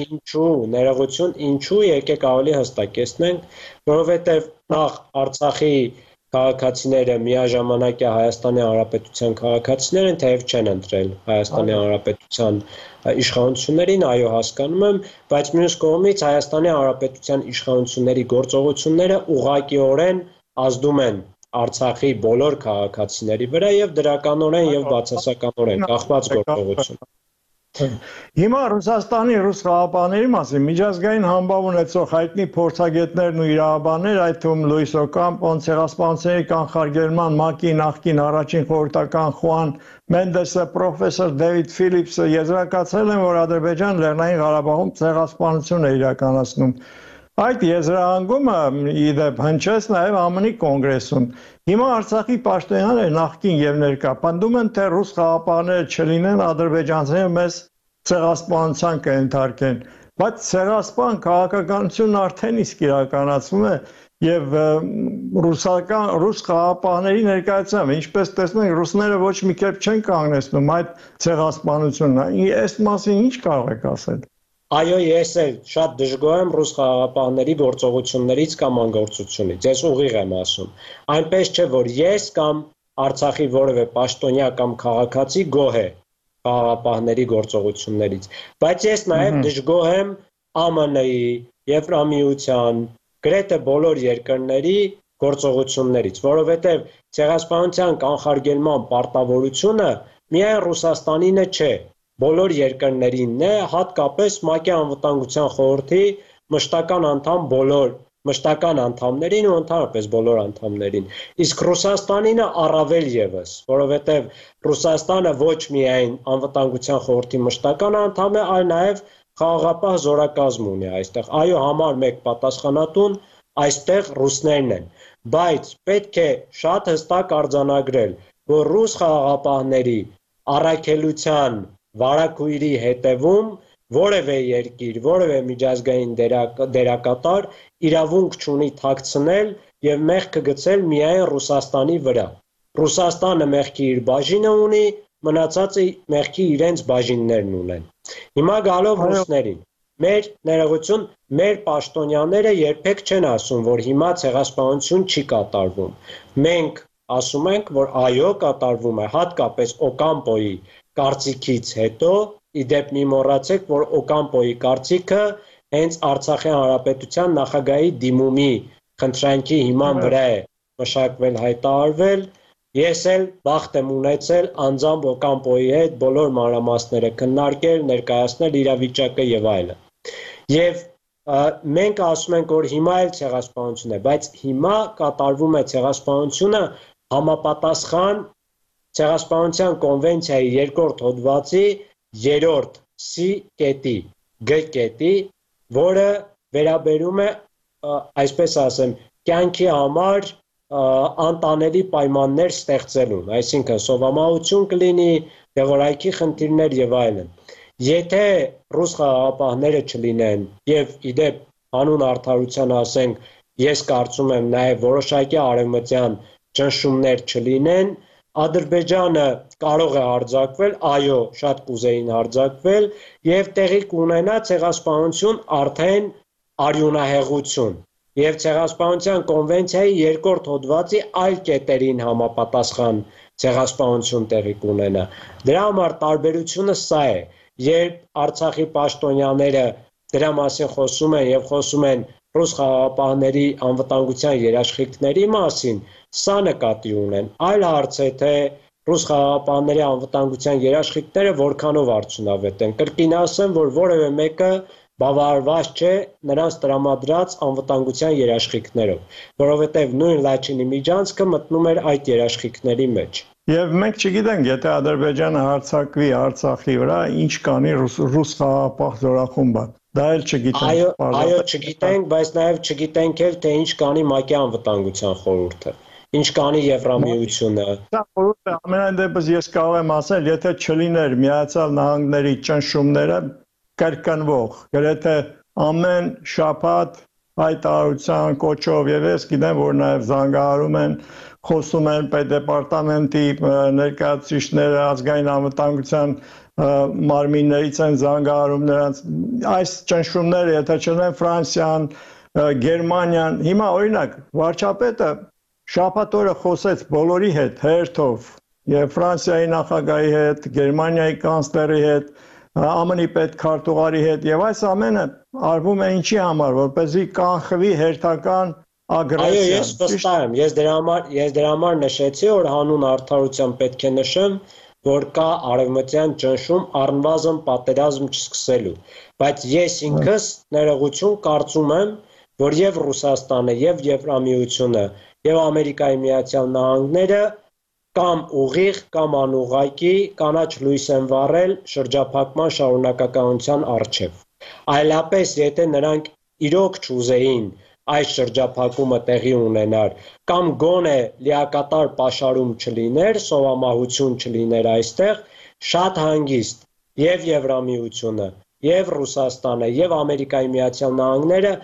ինչու ներողություն, ինչու եկեք ավելի հստակեցնենք, որովհետեւ նախ Արցախի քաղաքացիները միաժամանակյա Հայաստանի Հանրապետության քաղաքացիներ են, թեև չեն ընտրել Հայաստանի Հանրապետության իշխանություններին, այո, հասկանում եմ, բայց մյուս կողմից Հայաստանի Հանրապետության իշխանությունների գործողությունները ուղղակիորեն ազդում են Արցախի բոլոր քաղաքացիների վրա եւ դրականորեն եւ բացասականորեն կախված գործողություն։ Հիմա Ռուսաստանի ռուս խաղապահների մասին միջազգային համբավ ունեցող հայտնի փորձագետներն ու իրավաբաններ, այդ թվում Լուիս Օկամպոն, ցեղասպանությունների կանխարգելման ՄԱԿ-ի նախկին առաջին խորհրդական Խուան Մենդեսը, պրոֆեսոր Դեվիդ Ֆիլիպսը եզրակացրել են, որ Ադրբեջան Լեռնային Ղարաբաղում ցեղասպանություն է իրականացնում։ Այդ եզրահանգումը իդեպ հնչեց նաև ԱՄՆ-ի կոնգրեսում։ Հիմա Արցախի պաշտոնյաները նախկին եւ ներկա պնդում են, թե ռուս խաղապահները չլինեն, ադրբեջանցիները մեզ ցեղասպանության կընթարկեն, բայց ցեղասպան քաղաքականությունն արդեն իսկ իրականացվում է եւ ռուս խաղապահների ներկայությամբ, ինչպես տեսնենք, ռուսները ոչ մի կերպ չեն կանգնեցնում այդ ցեղասպանությունը։ Այս մասին ինչ կարող եք ասել։ Այո, ես էլ շատ դժգոհ եմ ռուս խաղաղապահների գործողություններից կամ անգործությունից, ես ուղիղ եմ ասում։ Այնպես չէ, որ ես կամ Արցախի որևէ պաշտոնյա կամ քաղաքացի գոհ է խաղաղապահների գործողություններից, բայց ես նաև դժգոհ եմ ԱՄՆ-ի, Եվրամիության, գրեթե բոլոր երկրների գործողություններից, որովհետև ցեղասպանության կանխարգելման պարտավորությունը միայն Ռուսաստանինը չէ, բոլոր երկրներինն է, հատկապես ՄԱԿ-ի անվտանգության խորհրդի մշտական անդամներին ու ընդհանրապես բոլոր անդամներին։ Իսկ Ռուսաստանինը առավել եւս, որովհետև Ռուսաստանը ոչ միայն անվտանգության խորհրդի մշտական անդամ է, այլ նաև խաղաղապահ զորակազմ ունի այստեղ։ Այո, համար 1 պատասխանատուն այստեղ ռուսներն են, բայց պետք է շատ հստակ արձանագրել, որ ռուս խաղաղապահների առաքելության վարակույրի հետևում որևէ երկիր, որևէ միջազգային դերակատար իրավունք չունի թաքցնել եւ մեղքը գցել միայն Ռուսաստանի վրա։ Ռուսաստանը մեղքի իր բաժինը ունի, մնացածը մեղքի իրենց բաժիններն ունեն։ Հիմա գալով ռուսներին, մեր ներողություն, մեր պաշտոնյաները երբեք չեն ասում, որ հիմա ցեղասպանություն չի կատարվում։ Մենք ասում ենք, որ այո, կատարվում է, հատկապես Օկամպոյի կարծիքից հետո, իդեպ մի մոռացեք, որ Օկամպոյի կարծիքը հենց Արցախի Հանրապետության նախագահի դիմումի խնդրանքի հիման վրա է մշակվել, հայտարարվել։ Ես էլ բախտ եմ ունեցել անձամբ Օկամպոյի հետ բոլոր մանրամասները քննարկել, ներկայացնել իրավիճակը եւ այլն։ Եվ մենք ասում ենք, որ հիմա էլ ցեղասպանություն է, բայց հիմա կատարվում է ցեղասպանությունը համապատասխան ցեղասպանության կոնվենցիայի 2-րդ հոդվածի 3-րդ C կետի, G կետի, որը վերաբերում է, այսպես ասեմ, կյանքի համար անտանելի պայմաններ ստեղծելուն, այսինքն սովամահություն կլինի, դեղորայքի խնդիրներ եւ այլն։ Եթե ռուս խաղաղապահները չլինեն եւ իդեպ հանուն արդարության ասենք, ես կարծում եմ նաեւ որոշակի արևմտյան ճնշումներ չլինեն, Ադրբեջանը կարող է հարձակվել, այո, շատ կուզեին հարձակվել եւ տեղի կունենա ցեղասպանություն արդեն արյունահեղություն եւ ցեղասպանության կոնվենցիայի 2-րդ հոդվածի այլ կետերին համապատասխան ցեղասպանություն տեղի կունենա։ Դրա համար տարբերությունը սա է, երբ Արցախի պաշտոնյաները դրա մասին խոսում են եւ խոսում են ռուս խաղաղապահների անվտանգության երաշխիքների մասին, սա նկատի ունեն։ Այլ հարց է, թե ռուս խաղաղապահների անվտանգության երաշխիքները որքանով արդյունավետ են։ Կրկին ասեմ, որ որևէ մեկը բավարարված չէ նրանց տրամադրած անվտանգության երաշխիքներով, որովհետև նույն Լաչինի միջանցքը մտնում էր այդ երաշխիքների մեջ։ Եվ մենք չգիտենք, եթե Ադրբեջանը հարձակվի Արցախի վրա, ինչ կանի ռուս խաղաղապահ զորախումբը։ Դա էլ չգիտենք։ Այո, չգիտենք, բայց նաև չգիտենք էլ, թե ինչ կանի ՄԱԿ-ի անվտանգության խորհուրդը, ինչ կանի Եվրամիությունը։ Դա խորհուրդը ամենայն դեպս ես կարող եմ ասել, եթե չլիներ Միացյալ Նահանգների ճնշումները, կրկնվող, գրեթե ամեն շաբաթ հայտարարության կոչով եւ ես գիտեմ, որ նաեւ զանգահարում են, խոսում են պետդեպարտամենտի ներկայացուցիչները, ազգային անվտանգության մարմիններից են զանգահարում նրանց այս ճնշումները, եթե չլինեն Ֆրանսիան, Գերմանիան, հիմա օրինակ վարչապետը շաբաթ օրը խոսեց բոլորի հետ հերթով եւ Ֆրանսիայի նախագահի հետ, Գերմանիայի կանցլերի հետ, ԱՄՆ-ի պետքարտուղարի հետ եւ այս ամենը արվում է ինչի համար, որպեսզի կանխվի հերթական ագրեսիան։ Այո, ես վստահ եմ, ես դրա համար նշեցի, որ հանուն արդարության պետք է նշեմ, որ կա արևմտյան ճնշում առնվազն պատերազմ չսկսելու, բայց ես ինքս ներողություն կարծում եմ, որ եւ Ռուսաստանը եւ Եվրամիությունը եւ Ամերիկայի Միացյալ Նահանգները կամ ուղիղ կամ անուղղակի կանաչ լույս են վառել շրջափակման շարունակականության առջև։ Այլապես, եթե նրանք իրոք չուզեին այս շրջափակումը տեղի ունենար, կամ գոնե լիակատար պաշարում չլիներ, սովամահություն չլիներ այստեղ, շատ հանգիստ եւ Եվրամիությունը, եւ Ռուսաստանը, եւ Ամերիկայի Միացյալ Նահանգները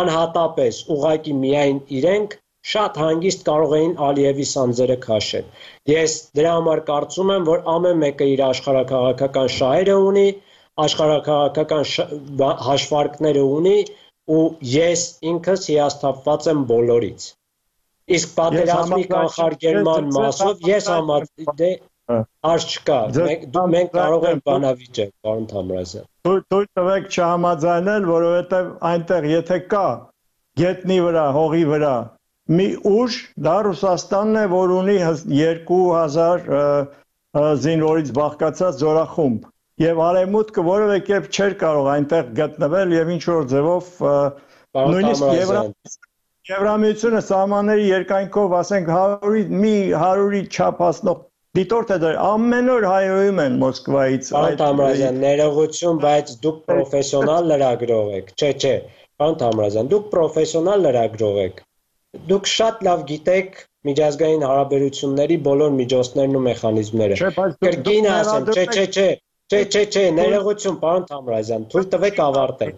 անհատապես ուղղակի միայն իրենք շատ հանգիստ կարող էին Ալիևի սանձերը քաշել։ Ես դրա համար կարծում եմ, որ ամեն մեկը իր աշխարհաքաղաքական շահերը ունի, աշխարհաքաղաքական հաշվարկները ունի, ու ես ինքս հիասթափված եմ բոլորից։ Իսկ պատերազմի կանխարգելման մասով ես հարց չկա։ Մենք կարող ենք բանավիճել, պարոն Թամրազյան։ Թույլ տվեք չհամաձայնել, որովհետև այնտեղ եթե կա գետնի վրա, հողի վրա մի ուժ, դա Ռուսաստանն է, որ ունի 2000 զինվորից բաղկացած զորախումբ եւ արևմուտքը որևէ կերպ չէր կարող այնտեղ գտնվել եւ ինչ որ ձևով նույնիսկ Եվրամիությունը սահմանների երկայնքով ասենք 100-ի չափ հասնող դիտորդը դեր ամեն օր հայոյում են Մոսկվայից Պարոն Թամրազյան, ներողություն, բայց դուք պրոֆեսիոնալ լրագրող եք։ Չէ, պարոն Թամրազյան, դուք պրոֆեսիոնալ լրագրող եք։ Դուք շատ լավ գիտեք միջազգային հարաբերությունների բոլոր միջոցներն ու մեխանիզմները։ Կրկին ասեմ, չէ, ներողություն, պարոն Թամրազյան, թույլ տվեք ավարտել։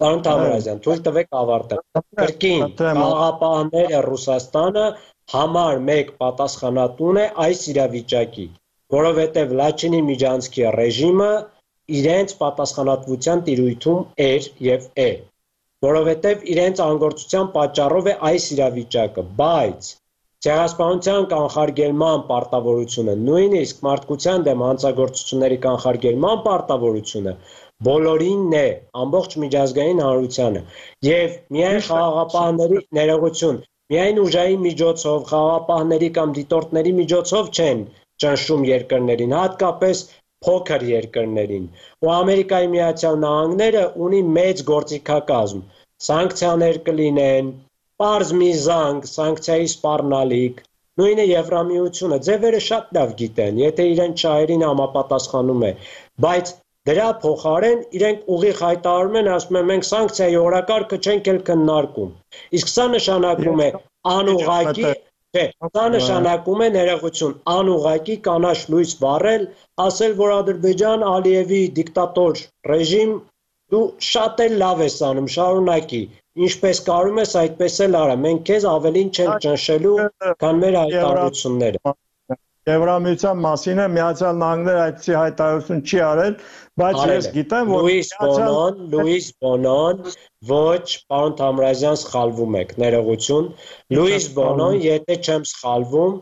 Պարոն Թամրազյան, թույլ տվեք ավարտել։ Կրկին, խաղաղապահները Ռուսաստանը համար մեկ պատասխանատուն է այս իրավիճակի, որովհետև Լաչինի Միջանցքի ռեժիմը իրենց պատասխանատվության տիրույթում էր եւ է, որովհետև իրենց անգործության պատճառով է այս իրավիճակը, բայց ցեղասպանության կանխարգելման պարտավորությունը, նույնիսկ մարդկության դեմ հանցագործությունների կանխարգելման պարտավորությունը բոլորինն է, ամբողջ միջազգային հանրությանը, եւ միայն խաղաղապահների ներողություն, միայն ուժային միջոցով, խաղաղապահների կամ դիտորդների միջոցով չեն ճնշում երկրներին, հատկապես փոքր երկրներին, ու Ամերիկայի Միացյալ Նահանգները ունի մեծ գործիքակազմ, սանկցիաներ կլինեն, պարզ մի զանգ, սանկցիայի սպառնալիք, նույնը Եվրամիությունը, ձևերը շատ լավ գիտեն, եթե իրեն շահերին համապատասխանում է, բայց դրա փոխարեն իրենք ուղիղ հայտարարում են, ասում են մենք սանկցիայի օրակարգը չենք էլ քննարկում, իսկ սա նշանակում է անուղղակի, սա նշանակում է ներողություն, անուղղակի կանաչ լույս վառել, ասել, որ Ադրբեջան Ալիևի դիկտատոր ռեժիմ, դու շատ էլ լավ ես անում, շարունակի, ինչպես կարում ես, այդպես էլ արա, մենք քեզ ավելին չենք ճնշելու, քան մեր հայտարարությունները։ Եվրամիության մասին է Միացյալ Նահանգները այդպիսի հայտարարություն չի արել, բայց ես գիտեմ, որ Լուիս Բոնոն, ոչ, պարոն Թամրազյան, սխալվում եք, ներողություն, Լուիս Բոնոն, եթե չեմ սխալվում,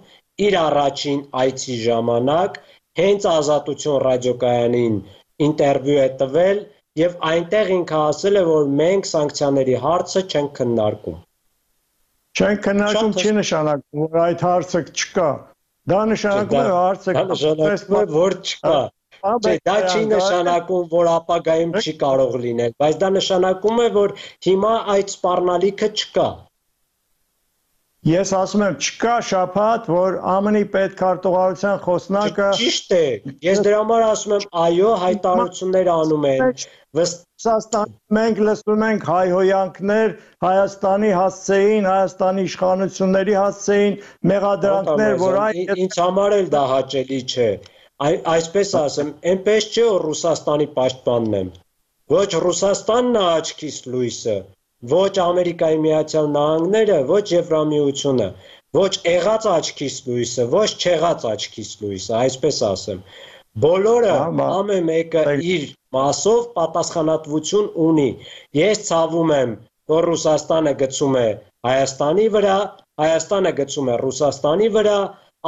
իր առաջին այցի ժամանակ հենց Ազատություն ռադիոկայանին ինտերվյու է տվել եւ այնտեղ ինքը ասել է, որ մենք սանկցիաների հարցը չենք քննարկում։ Չենք քննարկում չի նշանակում, որ այդ հարցը չկա։ Դա նշանակում է հարցը որ չկա։ Չէ, դա չի նշանակում, որ ապագայում չի կարող լինել, բայց դա նշանակում է, որ հիմա այդ սպառնալիքը չկա։ Ես ասում եմ, չկա շաբաթ, որ ԱՄՆ-ի պետքարտուղարության խոսնակը Ճիշտ է։ Ես դրա համար ասում եմ, այո, հայտարարություններ անում են։ Մենք լսում ենք հայհոյանքներ Հայաստանի հասցեին, Հայաստանի իշխանությունների հասցեին, մեղադրանքներ, որ ինձ համար էլ դա հաճելի չէ։ Այսպես ասեմ, այնպես չէ, որ Ռուսաստանի պաշտպանն եմ։ Ոչ Ռուսաստանն է աչքիս լույսը, ոչ Ամերիկայի Միացյալ Նահանգները, ոչ Եվրամիությունը, ոչ եղած աչքիս լույսը, ոչ չեղած աչքիս լույսը, այսպես ասեմ։ Բոլորը ամեն մեկը իր մասով պատասխանատվություն ունի։ Ես ցավում եմ, որ Ռուսաստանը գցում է Հայաստանի վրա, Հայաստանը գցում է Ռուսաստանի վրա,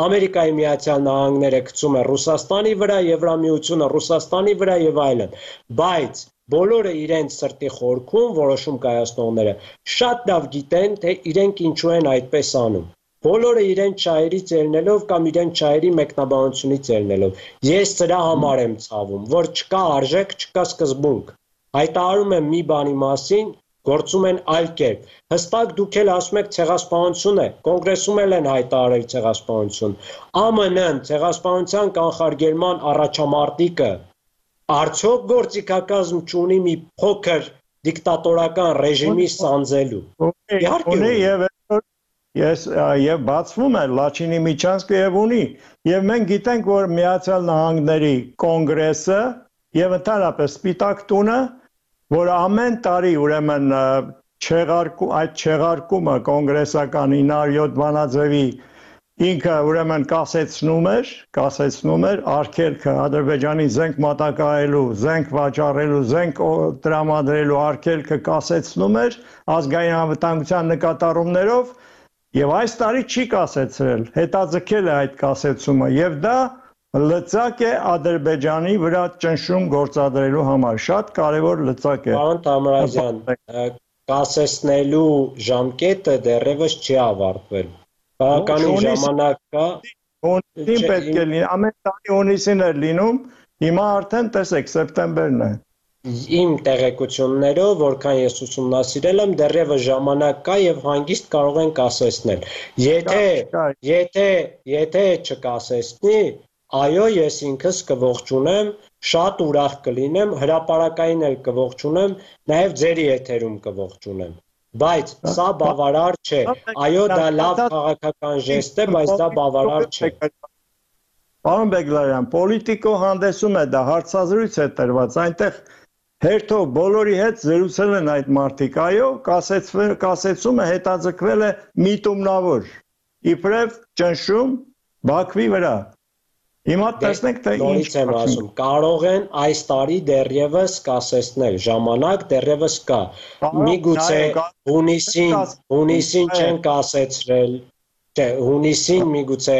Ամերիկայի Միացյալ Նահանգները գցում է Ռուսաստանի վրա, Եվրամիությունը Ռուսաստանի վրա եւ այլն։ Բայց բոլորը իրենց սրտի խորքում որոշում կայացնողները շատ լավ գիտեն, թե իրենք ինչու են այդպես անում։ Բոլորը իրենց շահերից ելնելով կամ իրենց շահերի մեկնաբանությունից ելնելով։ Ես սրա համար եմ ցավում, որ չկա արժեք, չկա սկզբունք։ Հայտարարում եմ մի բանի մասին, գործում են այլ կերպ։ Հստակ դուք էլ ասում եք ցեղասպանություն է, կոնգրեսում էլ են հայտարարել ցեղասպանություն։ ԱՄՆ-ն ցեղասպանության կանխարգելման առաջամարտիկը արդյոք գործիքակազմ չունի մի փոքր դիկտատորական ռեժիմի սանձելու։ Իհարկե եւ բացվում է Լաչինի Միջանցքը եւ ունի եւ մենք գիտենք, որ Միացյալ Նահանգների կոնգրեսը եւ ընդհանրապես Սպիտակ տունը, որ ամեն տարի ուրեմն այդ չեղարկումը կոնգրեսական 907 բանաձևի ինքը ուրեմն կասեցնում էր արգելքը Ադրբեջանի զենք մատակարարելու, զենք վաճառելու, զենք տրամադրելու արգելքը կասեցնում էր ազգային անվտանգության նկատառումներով եւ այս տարի չի կասեցրել, հետաձգել է այդ կասեցումը եւ դա լծակ է Ադրբեջանի վրա ճնշում գործադրելու համար, շատ կարևոր լծակ է։ Պարոն Թամրազյան, կասեցնելու ժամկետը դեռևս չի ավարտվել։ Բավականին ժամանակ կա։ Հունիսին պետք է լինի, ամեն տարի հունիսին էր լինում, հիմա արդեն տեսեք սեպտեմբերն է։ իմ տեղեկություններով, որքան ես ուսումնասիրել եմ, դեռևս ժամանակ կա եւ հանգիստ կարող ենք ասեցնել։ Եթե չկասեցնի, այո, ես ինքս կողջունեմ, շատ ուրախ կլինեմ, հրապարակային էլ կողջունեմ, նաեւ ձեր եթերում կողջունեմ։ Բայց սա բավարար չէ։ Այո, դա լավ քաղաքական ժեստ է, բայց դա բավարար չէ։ Պարոն Բեգլարյան, պոլիտիկո հանդեսում է դա հարցազրույց է տրված, այնտեղ հերթով բոլորի հետ զրուցել են այդ մարդիկ, այո, կասեցումը հետաձգվել է միտումնավոր, իբրև ճնշում Բաքվի վրա։ Հիմա տեսնենք, թե ինչ եմ ասում, կարող են այս տարի դեռևս կասեցնել, ժամանակ դեռևս կա։ Միգուցե հունիսին չեն կասեցրել, չէ, հունիսին միգուցե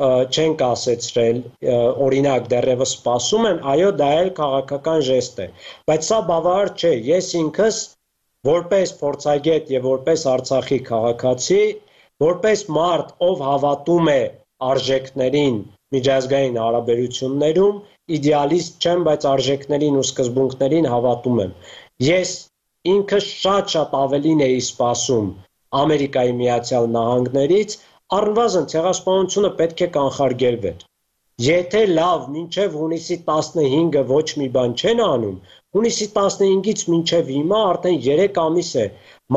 չեն կասեցրել, օրինակ դեռևս սպասում են, այո, դա էլ քաղաքական ժեստ է, բայց սա բավարար չէ, ես ինքս որպես փորձագետ եւ որպես Արցախի քաղաքացի, որպես մարդ, ով հավատում է արժեքներին, միջազգային հարաբերություններում, իդեալիստ չեմ, բայց արժեքներին ու սկզբունքներին հավատում եմ։ Ես ինքս շատ ավելին էի սպասում Ամերիկայի Միացյալ Նահանգներից, առնվազն ցեղասպանությունը պետք է կանխարգելվեր։ Եթե լավ, մինչև հունիսի 15-ը ոչ մի բան չեն անում, հունիսի 15-ից մինչև հիմա արդեն 3 ամիս է,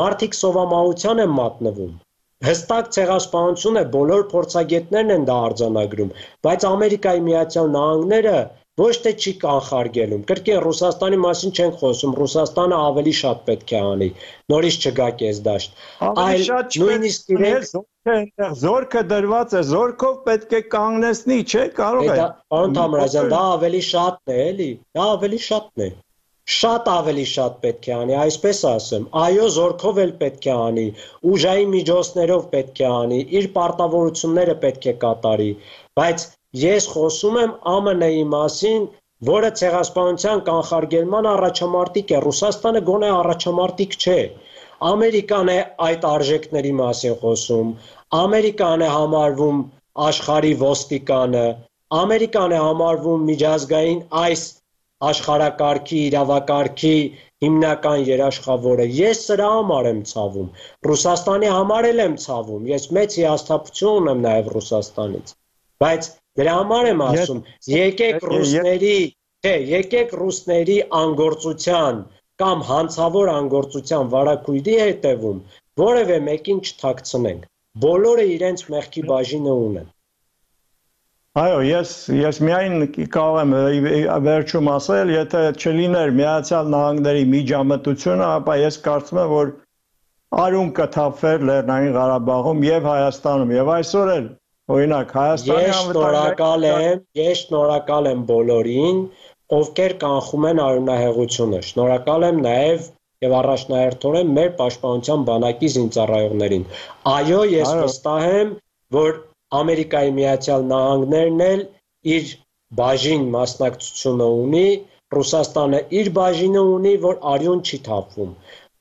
մարդիկ սովամահության են մատնվում։ Հստակ ցեղասպանություն է, բոլոր փորձագետներն են դա արձանագրում, բայց Ամերիկայի Միացյալ Նահանգները ոչ թե չի կանխարգելում, կրկին Ռուսաստանի մասին չենք խոսում, Ռուսաստանը ավելի շատ պետք է անի, նորից չգա կեսդաշտ, այլ նույնիսկ իրենք զորքը դրված է, զորքով պետք է կանգնեցնի, չէ, կարող է։ Պարոն Թամրազյան, դա ավելի շատն է, էլի, դա ավելի շատն է։ Շատ ավելի շատ պետք է անի, այսպես ասեմ, այո, զորքով էլ պետք է անի, ուժային միջոցներով պետք է անի, իր պարտավորությունները պետք է կատարի, բայց ես խոսում եմ ԱՄՆ-ի մասին, որը ցեղասպանության կանխարգելման առաջամարտիկ է, Ռուսաստանը գոնե առաջամարտիկ չէ, Ամերիկան է այդ արժեքների մասին խոսում, Ամերիկան է համարվում աշխարհի ոստիկանը, Ամերիկան է համարվում միջազգային այս աշխարհակարգի, իրավակարգի հիմնական երաշխավորը, ես սրա համար եմ ցավում, Ռուսաստանի համար էլ եմ ցավում, ես մեծ հիասթափություն ունեմ նաև Ռուսաստանից, բայց դրա համար եմ ասում, եկեք ռուսների անգործության կամ հանցավոր անգործության վարակույրի հետևում որևէ մեկին չթաքցնենք, բոլորը իրենց մեղքի բաժինը ունեն։ Այո, ես միայն կարող եմ վերջում ասել, եթե չլիներ Միացյալ Նահանգների միջամտությունը, ապա ես կարծում եմ, որ արյուն կթափվեր Լեռնային Ղարաբաղում եւ Հայաստանում եւ այսօր էլ, օրինակ, Հայաստանի Ես շնորհակալ եմ բոլորին, ովքեր կանխում են արյունահեղությունը, շնորհակալ եմ նաեւ եւ առաջնահերթորեն մեր պաշտպանության բանակի զինծառայողներին։ Այո, ես վստահ եմ, որ Ամերիկայի Միացյալ Նահանգներն էլ իր բաժին մասնակցությունը ունի, Ռուսաստանը իր բաժինը ունի, որ արյուն չի թափվում,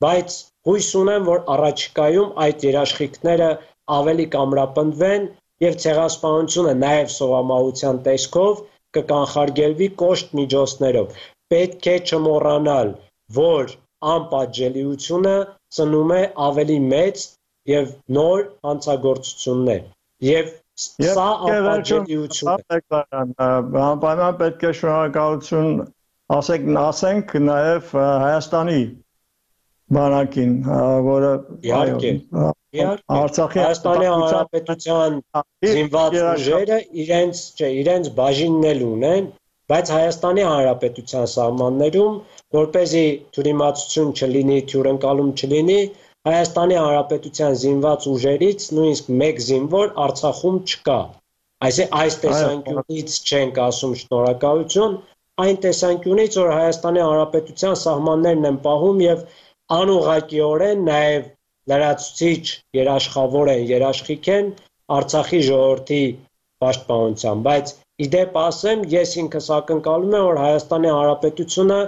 բայց հույս ունեմ, որ առաջիկայում այդ երաշխիքները ավելի կամրապնդվեն եւ ցեղասպանությունը նաեւ սովամահության տեսքով կկանխարգելվի կոշտ միջոցներով։ Պետք է չմոռանալ, որ անպատժելիությունը ծնում է ավելի մեծ եւ նոր հանցագործություններ եւ սա անպատժելիություն է։ Անպայման պետք է շնորհակալություն ասենք նաեւ Հայաստանի բանակին, որը Արցախի Հայաստանի Հանրապետության զինված ուժերը իրենց բաժինն էլ ունեն, բայց Հայաստանի Հանրապետության սահմաններում, որպեսզի թյուրիմացություն չլինի, թյուրընկալում չլինի, Հայաստանի Հանրապետության զինված ուժերից նույնիսկ մեկ զինվոր Արցախում չկա։ Այս տեսանկյունից չենք ասում շնորհակալություն, այն տեսանկյունից, որ Հայաստանի Հանրապետության սահմաններն են պահում եւ անուղղակիորեն նաեւ լրացուցիչ երաշխավոր են, երաշխիք են Արցախի ժողովրդի պաշտպանության, բայց իդեպ ասեմ, ես ինքս ակնկալում եմ, որ Հայաստանի Հանրապետությունը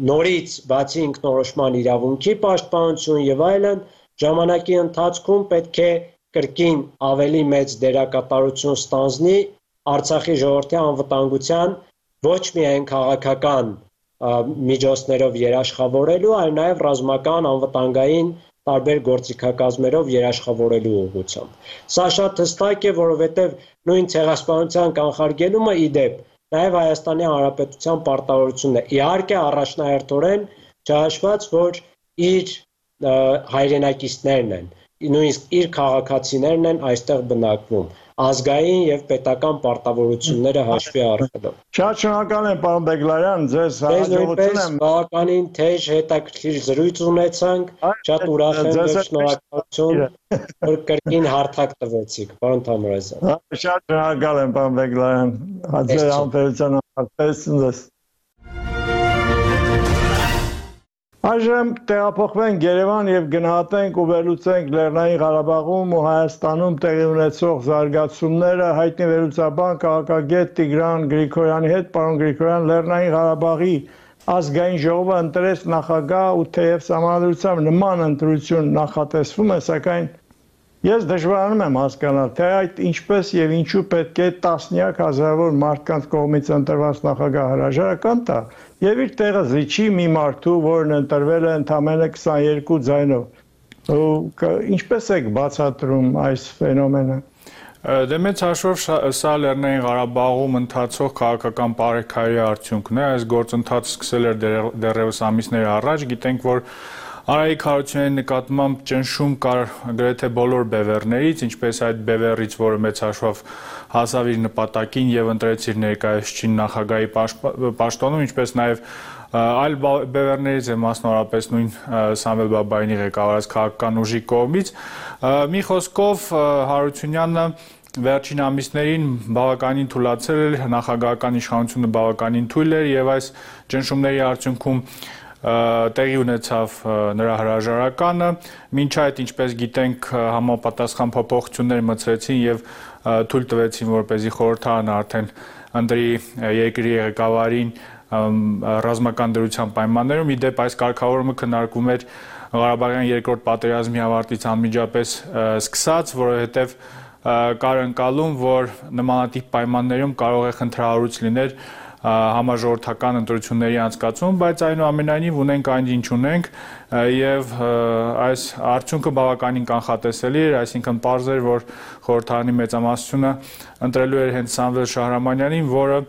նորից բացի ինքնորոշման իրավունքի պաշտպանություն եւ այլն, ժամանակի ընթացքում պետք է կրկին ավելի մեծ դերակատարություն ստանձնի Արցախի ժողովրդի անվտանգության ոչ միայն քաղաքական միջոցներով երաշխավորելու, այլ նաև ռազմական անվտանգային տարբեր գործիքակազմերով երաշխավորելու ուղղությամբ։ Սա շատ հստակ է, որովհետև նույն ցեղասպանության կանխարգելումը ի դեպ նաև Հայաստանի Հանրապետության պարտավորությունն է։ Իհարկե առաջնահերթորեն չհաշված, որ իր հայրենակիցներն են, նույնիսկ իր քաղաքացիներն են այստեղ բնակվում, ազգային եւ պետական պարտավորությունները հաշվի առնելով։ Շատ շնորհակալ եմ, պարոն Բեգլարյան, ձեզ հաջողություն եմ։ Բավականին թեժ հետաքրքիր զրույց ունեցանք, շատ ուրախ եմ եւ շնորհակալություն, որ կրկին հարթակ տվեցիք, պարոն Թամրազյան։ Շատ շնորհակալ եմ, պարոն Բեգլարյան, ձեր համբերության համար։ Այժմ տեղափոխվենք Երևան եւ գնահատենք ու վերլուծենք Լեռնային Ղարաբաղում ու Հայաստանում տեղի ունեցող զարգացումները հայտնի վերլուծաբան քաղաքագետ Տիգրան Գրիգորյանի հետ։ Պարոն Գրիգորյան, Լեռնային Ղարաբաղի ազգային ժողովը ընտրեց նախագահ ու թեև համանդրությամբ նման ընտրություն նախատեսվում է, սակայն ես դժվարանում եմ հասկանալ, թե այդ ինչպես եւ ինչու պետք է տասնյակ հազարավոր մարդկանց կողմից ընտրված նախագահ հրաժարական տա եւ իր տեղը զիջի մի մարդու, որն ընտրվել է ընդամենը 22 ձայնով։ Ինչպես եք բացատրում այս ֆենոմենը։ Դե մեծ հաշվով սա Լեռնային Ղարաբաղում ընթացող քաղաքական բարեքայրի արդյունքն է, այս գործընթացը սկսել էր դեռևս ամիսներ առաջ, գիտենք, որ Արայիկ Հարությունյանի նկատմամբ ճնշում կար գրեթե բոլոր բևեռներից, ինչպես այդ բևեռից, որը մեծ հաշվով հասավ իր նպատակին եւ ընտրեց իր ներկայացուցիչ նախագահի պաշտոնում, ինչպես նաեւ այլ բևեռներից է մասնավորապես նույն Սամվել Բաբայանի ղեկավարած քաղաքական ուժի կողմից։ Մի խոսքով Հարությունյանը վերջին ամիսներին բավականին թուլացել էր, նախագահական իշխանությունը բավականին թույլ էր եւ այս ճնշումների արդյունքում տեղի ունեցավ նրա հրաժարականը, մինչ այդ, ինչպես գիտենք, համապատասխան փոփոխություններ մտցրեցին եւ թույլ տվեցին, որպեսզի խորհրդարանը արդեն ընտրի երկրի ղեկավարին ռազմական դրության պայմաններում։ Իդեպ այս կարգավորումը քննարկվում էր Ղարաբաղյան երկրորդ պատերազմի ավարտից անմիջապես սկսած, որովհետեւ կար ընկալում, որ նմանատիպ պայմաններում կարող է խնդրահարույց լինել համաժողովրդական ընտրությունների անցկացում, բայց այնուամենայնիվ ունենք այն, ինչ ունենք, եւ այս արդյունքը բավականին կանխատեսելի էր, այսինքն պարզ էր, որ խորհրդարանի մեծամասնությունը ընտրելու էր հենց Սամվել Շահրամանյանին, որը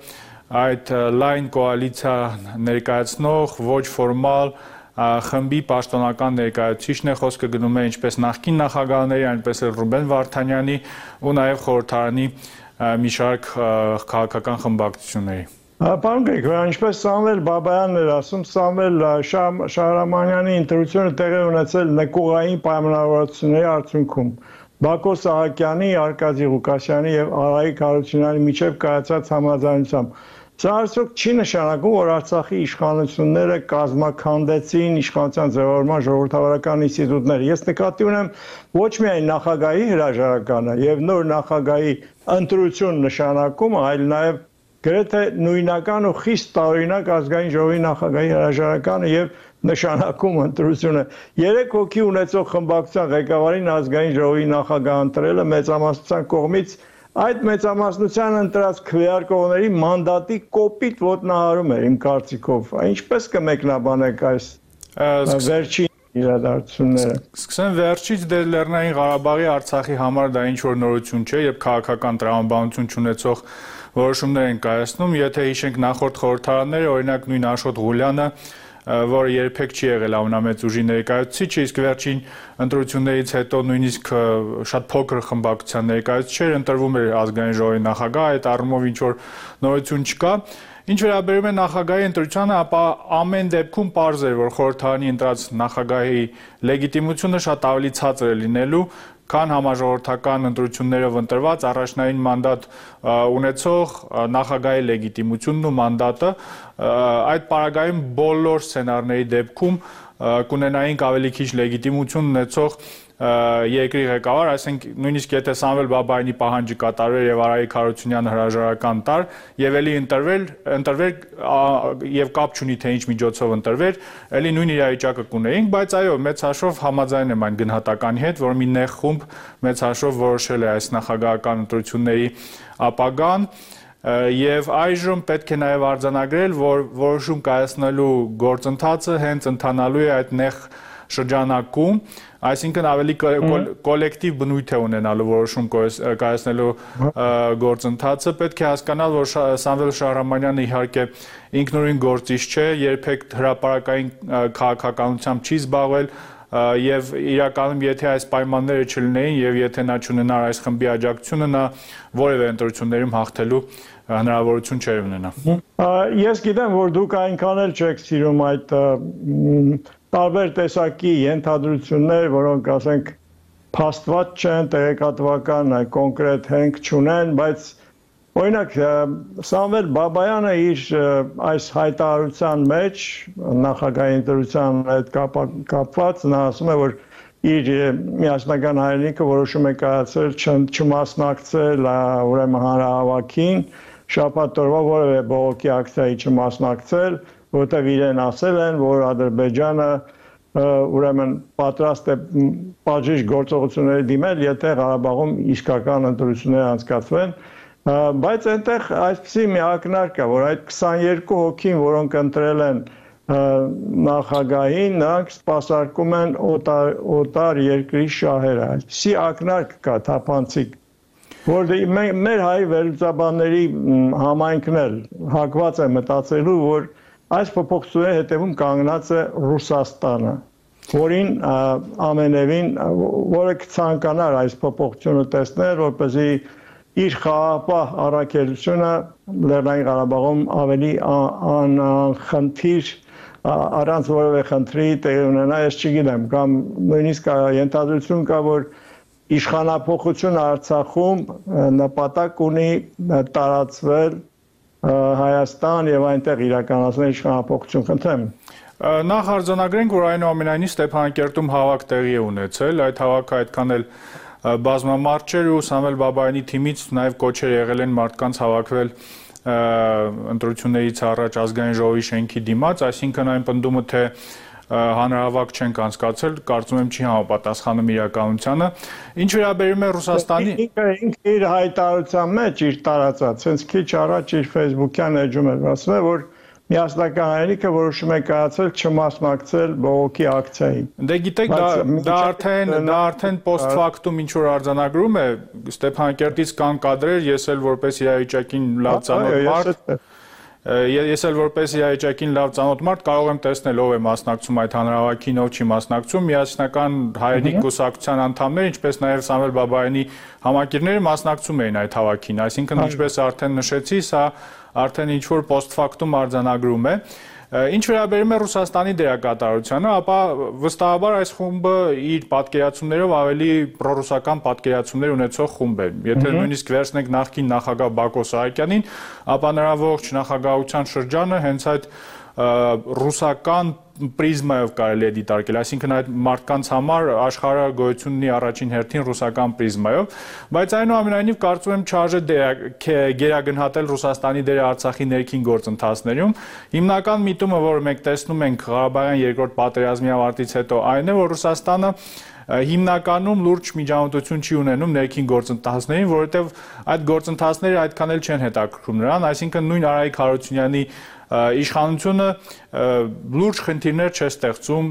այդ լայն կոալիցիա ներկայացնող ոչ ֆորմալ խմբի պաշտոնական ներկայացուցիչն է, խոսքը գնում է ինչպես նախկին նախագահների, այնպես էլ Ռուբեն Վարդանյանի ու նաեւ խորհրդարանի մի շարք քաղաքական խմբակցությունների։ Պարոն Գրիգորյան, ինչպես Սամվել Բաբայանն էր ասում, Սամվել Շահրամանյանի ընտրությունը տեղի ունեցել նկուղային պայմանավորվածությունների արդյունքում Բակո Սահակյանի, Արկադի Ղուկասյանի եւ Արայիկ Հարությունյանի միջև կայացած համաձայնությամբ։ Սա արդյոք չի նշանակում, որ Արցախի իշխանությունները կազմաքանդեցին իշխանության ձևավորման ժողովրդավարական ինստիտուտները։ Ես նկատի ունեմ ոչ միայն նախագահի հրաժարականը եւ նոր նախագահի ընտրություն նշանակումը, այլ նաեւ գրեթե նույնական ու խիստ տարօրինակ ազգային ժողովի նախագահի հրաժարականը եւ նշանակում ընտրությունը 3 հոգի ունեցող խմբակցության ղեկավարին ազգային ժողովի նախագահ ընտրելը մեծամասնության կողմից այդ մեծամասնության ընտրած քվեարկողների մանդատի կոպիտ ոտնահարում էր իմ կարծիքով։ Ինչպես կմեկնաբանեք այս վերջին իրադարձությունները։ Սկսեմ վերջից, դե Լեռնային Ղարաբաղի Արցախի համար դա ինչ որ նորություն չէ, եւ քաղաքական տրամաբանություն չունեցող որոշումներ են կայացնում, եթե հիշենք նախորդ խորհրդարանները, օրինակ նույն Աշոտ Ղուլյանը, որը երբեք չի եղել ամենամեծ ուժի ներկայացուցիչը, իսկ վերջին ընտրություններից հետո նույնիսկ շատ փոքր խմբակցության ներկայացուցիչ ընտրվում էր ազգային ժողովի նախագահ, այդ առումով ինչ որ նորություն չկա։ Ինչ վերաբերում է նախագահի ընտրությանը, ապա ամեն դեպքում պարզ էր, որ խորհրդարանի ընտրած նախագահի լեգիտիմությունը շատ ավելի ցածր է լինելու, քան համաժողովրդական ընտրություններով ընտրված առաջնային մանդատ ունեցող նախագահի լեգիտիմությունն ու մանդատը։ Այդ պարագայում բոլոր սցենարների դեպքում կունենայինք ավելի քիչ լեգիտիմություն ունեցող երկրի ղեկավար, այսինքն նույնիսկ եթե Սամվել Բաբայանի պահանջը կատարվեր եւ Արայիկ Հարությունյանը հրաժարական տար եւ էլի ընտրվեր եւ կապ չունի թե ինչ միջոցով ընտրվեր, էլի նույն իրավիճակը կունեինք, բայց այո, մեծ հաշվով համաձայն եմ այն գնահատականի հետ, որ մի նեղ խումբ մեծ հաշվով որոշել է այս նախագահական ընտրությունների ապագան Եվ այժմ պետք է նաև արձանագրել, որ որոշում կայացնելու գործընթացը հենց ընթանալու է այդ նեղ շրջանակում, այսինքն ավելի կոլեկտիվ բնույթ է ունենալու որոշում կայացնելու գործընթացը, պետք է հասկանալ, որ Սամվել Շահրամանյանը իհարկե ինքնուրույն գործիչ չէ, երբեք հրապարակային քաղաքականությամբ չի զբաղվել, եւ իրականում եթե այս պայմանները չլինեին եւ եթե նա չունենար այս խմբի աջակցությունը, նա որևէ ընտրություններում հաղթելու հնարավորություն չէր ունենա։ Ես գիտեմ, որ դուք այնքան էլ չեք սիրում այդ տարբեր տեսակի ենթադրություններ, որոնք ասենք փաստված չեն, տեղեկատվական կոնկրետ հենք չունեն, բայց օրինակ Սամվել Բաբայանը իր այս հայտարարության մեջ նախագահի ընտրության հետ կապված նա ասում է, որ իր միասնական հայրենիքը որոշում է կայացրել չմասնակցել ուրեմն հանրահավաքին, շաբաթ օրվա որևէ բողոքի ակցիայի չմասնակցել, որտեղ իրեն ասել են, որ Ադրբեջանը ուրեմն պատրաստ է պատժիչ գործողությունների դիմել, եթե Ղարաբաղում իսկական ընտրություններ անցկացվեն, բայց այնտեղ այսպիսի մի ակնարկ կա, որ այդ 22 հոգին, որոնք ընտրել են նախագահին, նրանք սպասարկում են օտար երկրի շահերը, այսպիսի ակնարկ կա թափանցիկ, որ մեր հայ վերլուծաբանների համայնքն էլ հակված է մտածելու, որ այս փոփոխությունների հետևում կանգնած է Ռուսաստանը, որին ամենևին, որը կցանկանար այս փոփոխությունը տեսնել, որպեսզի իր խաղաղապահ առաքելությունը Լեռնային Ղարաբաղում ավելի անխնդիր առանց որևէ խնդրի տեղի ունենա, ես չգիտեմ, կամ նույնիսկ ենթադրություն կա, որ իշխանափոխությունը Արցախում նպատակ ունի տարածվել Հայաստան եւ այնտեղ իրականացնել իշխանափոխություն, խնդրեմ։ Նախ արձանագրենք, որ այնուամենայնիվ Ստեփանակերտում հավաք տեղի է ունեցել, այդ հավաքը այդքան էլ բազմամարդ ու Սամվել Բաբայանի թիմից նաև կոչեր եղել են մարդկանց հավաքվել ընտրություններից առաջ ազգային ժողովի շենքի դիմաց, այսինքն այն պնդումը, թե հանրահավաք չենք անցկացրել, կարծում եմ չի համապատասխանում իրականությանը։ Ինչ վերաբերում է Ռուսաստանի ինքը իր հայտարարության մեջ իր տարածած, հենց քիչ առաջ իր Facebook-յան էջում էր ասում է, որ միասնական հայրենիքը որոշում է կայացել չմասնակցել բողոքի ակցիային։ Դե գիտեք, դա արդեն post factum ինչ որ արձանագրում է, Ստեփանակերտից կան կադրեր, ես էլ որպես իրավիճակին լավ ծանոթ մարդ, ես էլ որպես իրավիճակին լավ ծանոթ մարդ կարող եմ տեսնել ով է մասնակցում այդ հանրահավաքին, ով չի մասնակցում, միասնական հայրենիք կուսակցության անդամներ, ինչպես նաև Սամվել Բաբայանի համակիրները մասնակցում էին այդ հավաքին, այսինքն ինչպես արդեն նշեցի, սա արդեն ինչ-որ post factum արձանագրում է։ Ինչ վերաբերում է Ռուսաստանի դերակատարությանը, ապա վստահաբար այս խումբը իր պատկերացումներով ավելի պրոռուսական պատկերացումներ ունեցող խումբ է։ Եթե նույնիսկ վերցնենք նախկին նախագահ Բակո Սահակյանին, ապա նրա ողջ նախագահության շրջանը հենց այդ ռուսական պրիզմայով կարելի է դիտարկել, այսինքն այդ մարդկանց համար աշխարհը գոյություն ունի առաջին հերթին ռուսական պրիզմայով, բայց այնուամենայնիվ կարծում եմ չարժե գերագնահատել Ռուսաստանի դերը Արցախի ներքին գործընթացներում։ Հիմնական միտումը, որը մենք տեսնում ենք Ղարաբաղյան երկրորդ պատերազմի ավարտից հետո, այն է, որ Ռուսաստանը հիմնականում լուրջ միջամտություն չի ունենում ներքին գործընթացներին, որովհետև այդ գործընթացները այդքան էլ չեն հետաքրքրում նրան, այսինքն նույն Արայիկ Հարությունյանի իշխանությունը լուրջ խնդիրներ չէ ստեղծում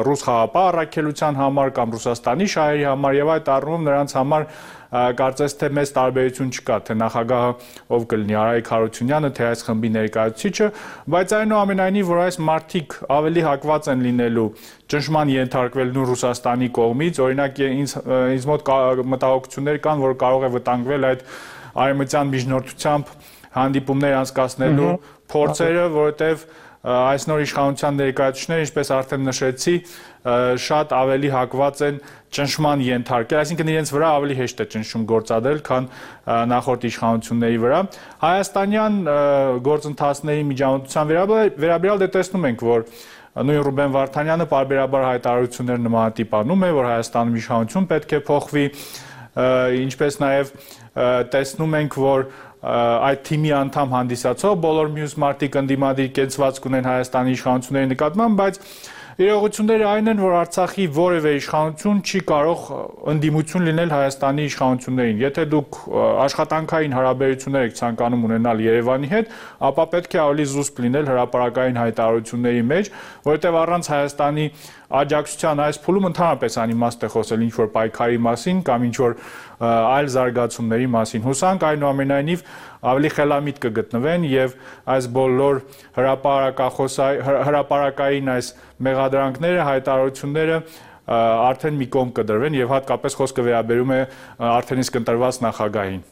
ռուս խաղապահ առաքելության համար կամ Ռուսաստանի շահերի համար եւ այդ առումով նրանց համար կարծես թե մեծ տարբերություն չկա, թե նախագահը ով կլինի Արայիկ Հարությունյանը, թե այս խմբի ներկայացուցիչը, բայց այնուամենայնիվ որ այս մարդիկ ավելի հակված են լինելու ճնշման ենթարկվելուն Ռուսաստանի կողմից, օրինակ ինձ մոտ մտահոգություններ կան, որ կարող է վտանգվել այդ արևմտյան միջնորդությամբ հանդիպումներ անցկացնելու փորձերը, որովհետև այս նոր իշխանության ներկայացուցիչները, ինչպես արդեն նշեցի, շատ ավելի հակված են ճնշման ենթարկել, այսինքն իրենց վրա ավելի հեշտ է ճնշում գործադրել, քան նախորդ իշխանությունների վրա։ Հայաստանյան գործընթացների միջամտության վերաբերյալ դե տեսնում ենք, որ նույն Ռուբեն Վարդանյանը պարբերաբար հայտարարություններ նմանատիպ անում է, որ Հայաստանում իշխանություն պետք է փոխվի, ինչպես նաև տեսնում ենք, որ այդ թիմի անդամ հանդիսացող բոլոր մյուս մարդիկ ընդդիմադիր կեցվածք ունեն Հայաստանի իշխանությունների նկատմամբ, բայց Իրողությունները այն են, որ Արցախի որևէ իշխանություն չի կարող ընդդիմություն լինել Հայաստանի իշխանություններին։ Եթե դուք աշխատանքային հարաբերություններ եք ցանկանում ունենալ Երևանի հետ, ապա պետք է ավելի զուսպ լինել հրապարակային հայտարարությունների մեջ, որովհետև առանց Հայաստանի աջակցության այս փուլում ընդհանրապես անիմաստ է խոսել ինչ-որ պայքարի մասին կամ ինչ-որ այլ զարգացումների մասին։ Հուսանք այնուամենայնիվ ավելի խելամիտ կգտնվեն եւ այս բոլոր հրապարակային այս մեղադրանքները, հայտարարությունները արդեն մի կողմ կդրվեն եւ հատկապես խոսքը վերաբերում է արդեն իսկ ընտրված նախագահին։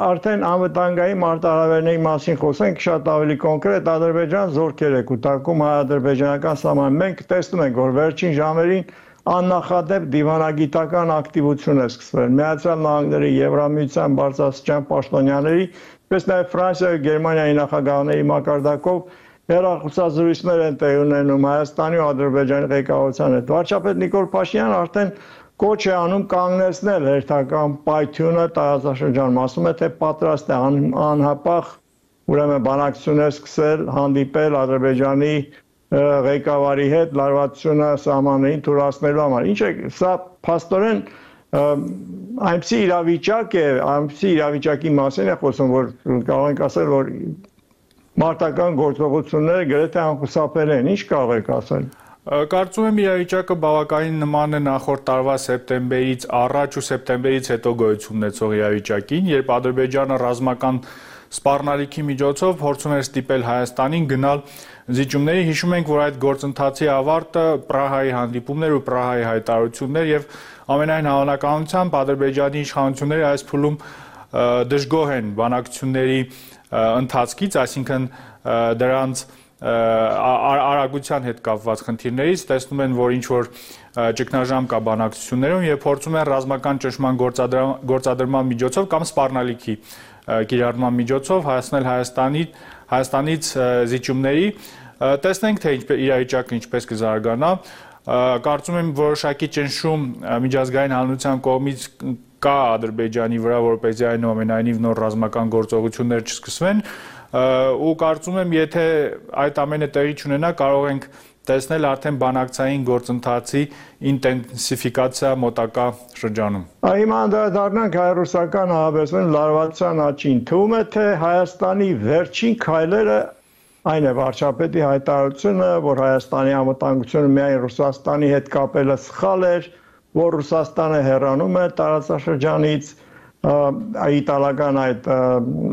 Արդեն անվտանգային մարտահրավերների մասին խոսենք շատ ավելի կոնկրետ Ադրբեջան զորքեր է կուտակում հայ-ադրբեջանական սահման։ Մենք տեսնում ենք, որ վերջին ժամերին աննախադեպ դիվանագիտական ակտիվություն է սկսվել Միացյալ Նահանգների, Եվրամիության բարձրաստիճան պաշտոնյաների, ինչպես նաև Ֆրանսիայի, Գերմանիայի նախագահների մակարդակով հեռախոսազրույցներ են տեղի ունենում Հայաստանի ու Ադրբեջանի ղեկավարության հետ։ Վարչապետ Նիկոլ Փաշինյանը արդեն կոչ է անում կանգնեցնել հերթական պայթյունը տարածաշրջանում, ասում է, թե պատրաստ է անհապաղ ուրեմն բանակցություններ սկսել, հանդիպել Ադրբեջանի ղեկավարի հետ լարվածությունը սահմաններին թույլատնելու համար։ Ինչ է, սա փաստորեն այնպիսի իրավիճակ է, այնպիսի իրավիճակի մասին է խոսում, որ կարող ենք ասել, որ մարտական գործողությունները գրեթե անխուսափելի են։ Ինչ կարող եք ասել։ Կարծում եմ իրավիճակը բավականին նման է նախորդ տարվա սեպտեմբերից առաջ ու սեպտեմբերից հետո գոյություն ունեցող իրավիճակին, երբ Ադրբեջանը ռազմական սպառնալիքի միջոցով փորձում էր ստիպել Հայաստանին գնալ զիջումների։ Հիշում ենք, որ այդ գործընթացի ավարտը Պրահայի հանդիպումներ ու Պրահայի հայտարարություններ եւ ամենայն հավանականությամբ Ադրբեջանի իշխանությունները այս փուլում դժգոհ են բանակցությունների ընթացքից, այսինքն դրանց արագության հետ կապված խնդիրներից, տեսնում են, որ ինչ-որ ճգնաժամ կա բանակցություններում եւ փորձում են ռազմական ճնշման գործադրման միջոցով կամ սպառնալիքի կիրառման միջոցով հասնել Հայաստանից զիջումների։ Տեսնենք, թե իրավիճակը ինչպես կզարգանա։ Կարծում եմ որոշակի ճնշում միջազգային հանրության կողմից կա Ադրբեջանի վրա, որպեսզի այնուամենայնիվ նոր ռազմական գործողություններ չսկսվեն, ու կարծում եմ, եթե այդ ամենը տեղի չունենա, կարող ենք տեսնել արդեն բանակցային գործընթացի ինտենսիֆիկացիա մոտակա շրջանում։ Հիմա անդրադառնանք հայ-ռուսական հարաբերությունների լարվածության աճին։ Թվում է, թե Հայաստանի վերջին քայլերը այն է վարչապետի հայտարարությունը, որ Հայաստանի անվտանգությունը միայն Ռուսաստանի հետ կապելը սխալ էր, որ Ռուսաստանը հեռանում է տարածաշրջանից, իտալական այդ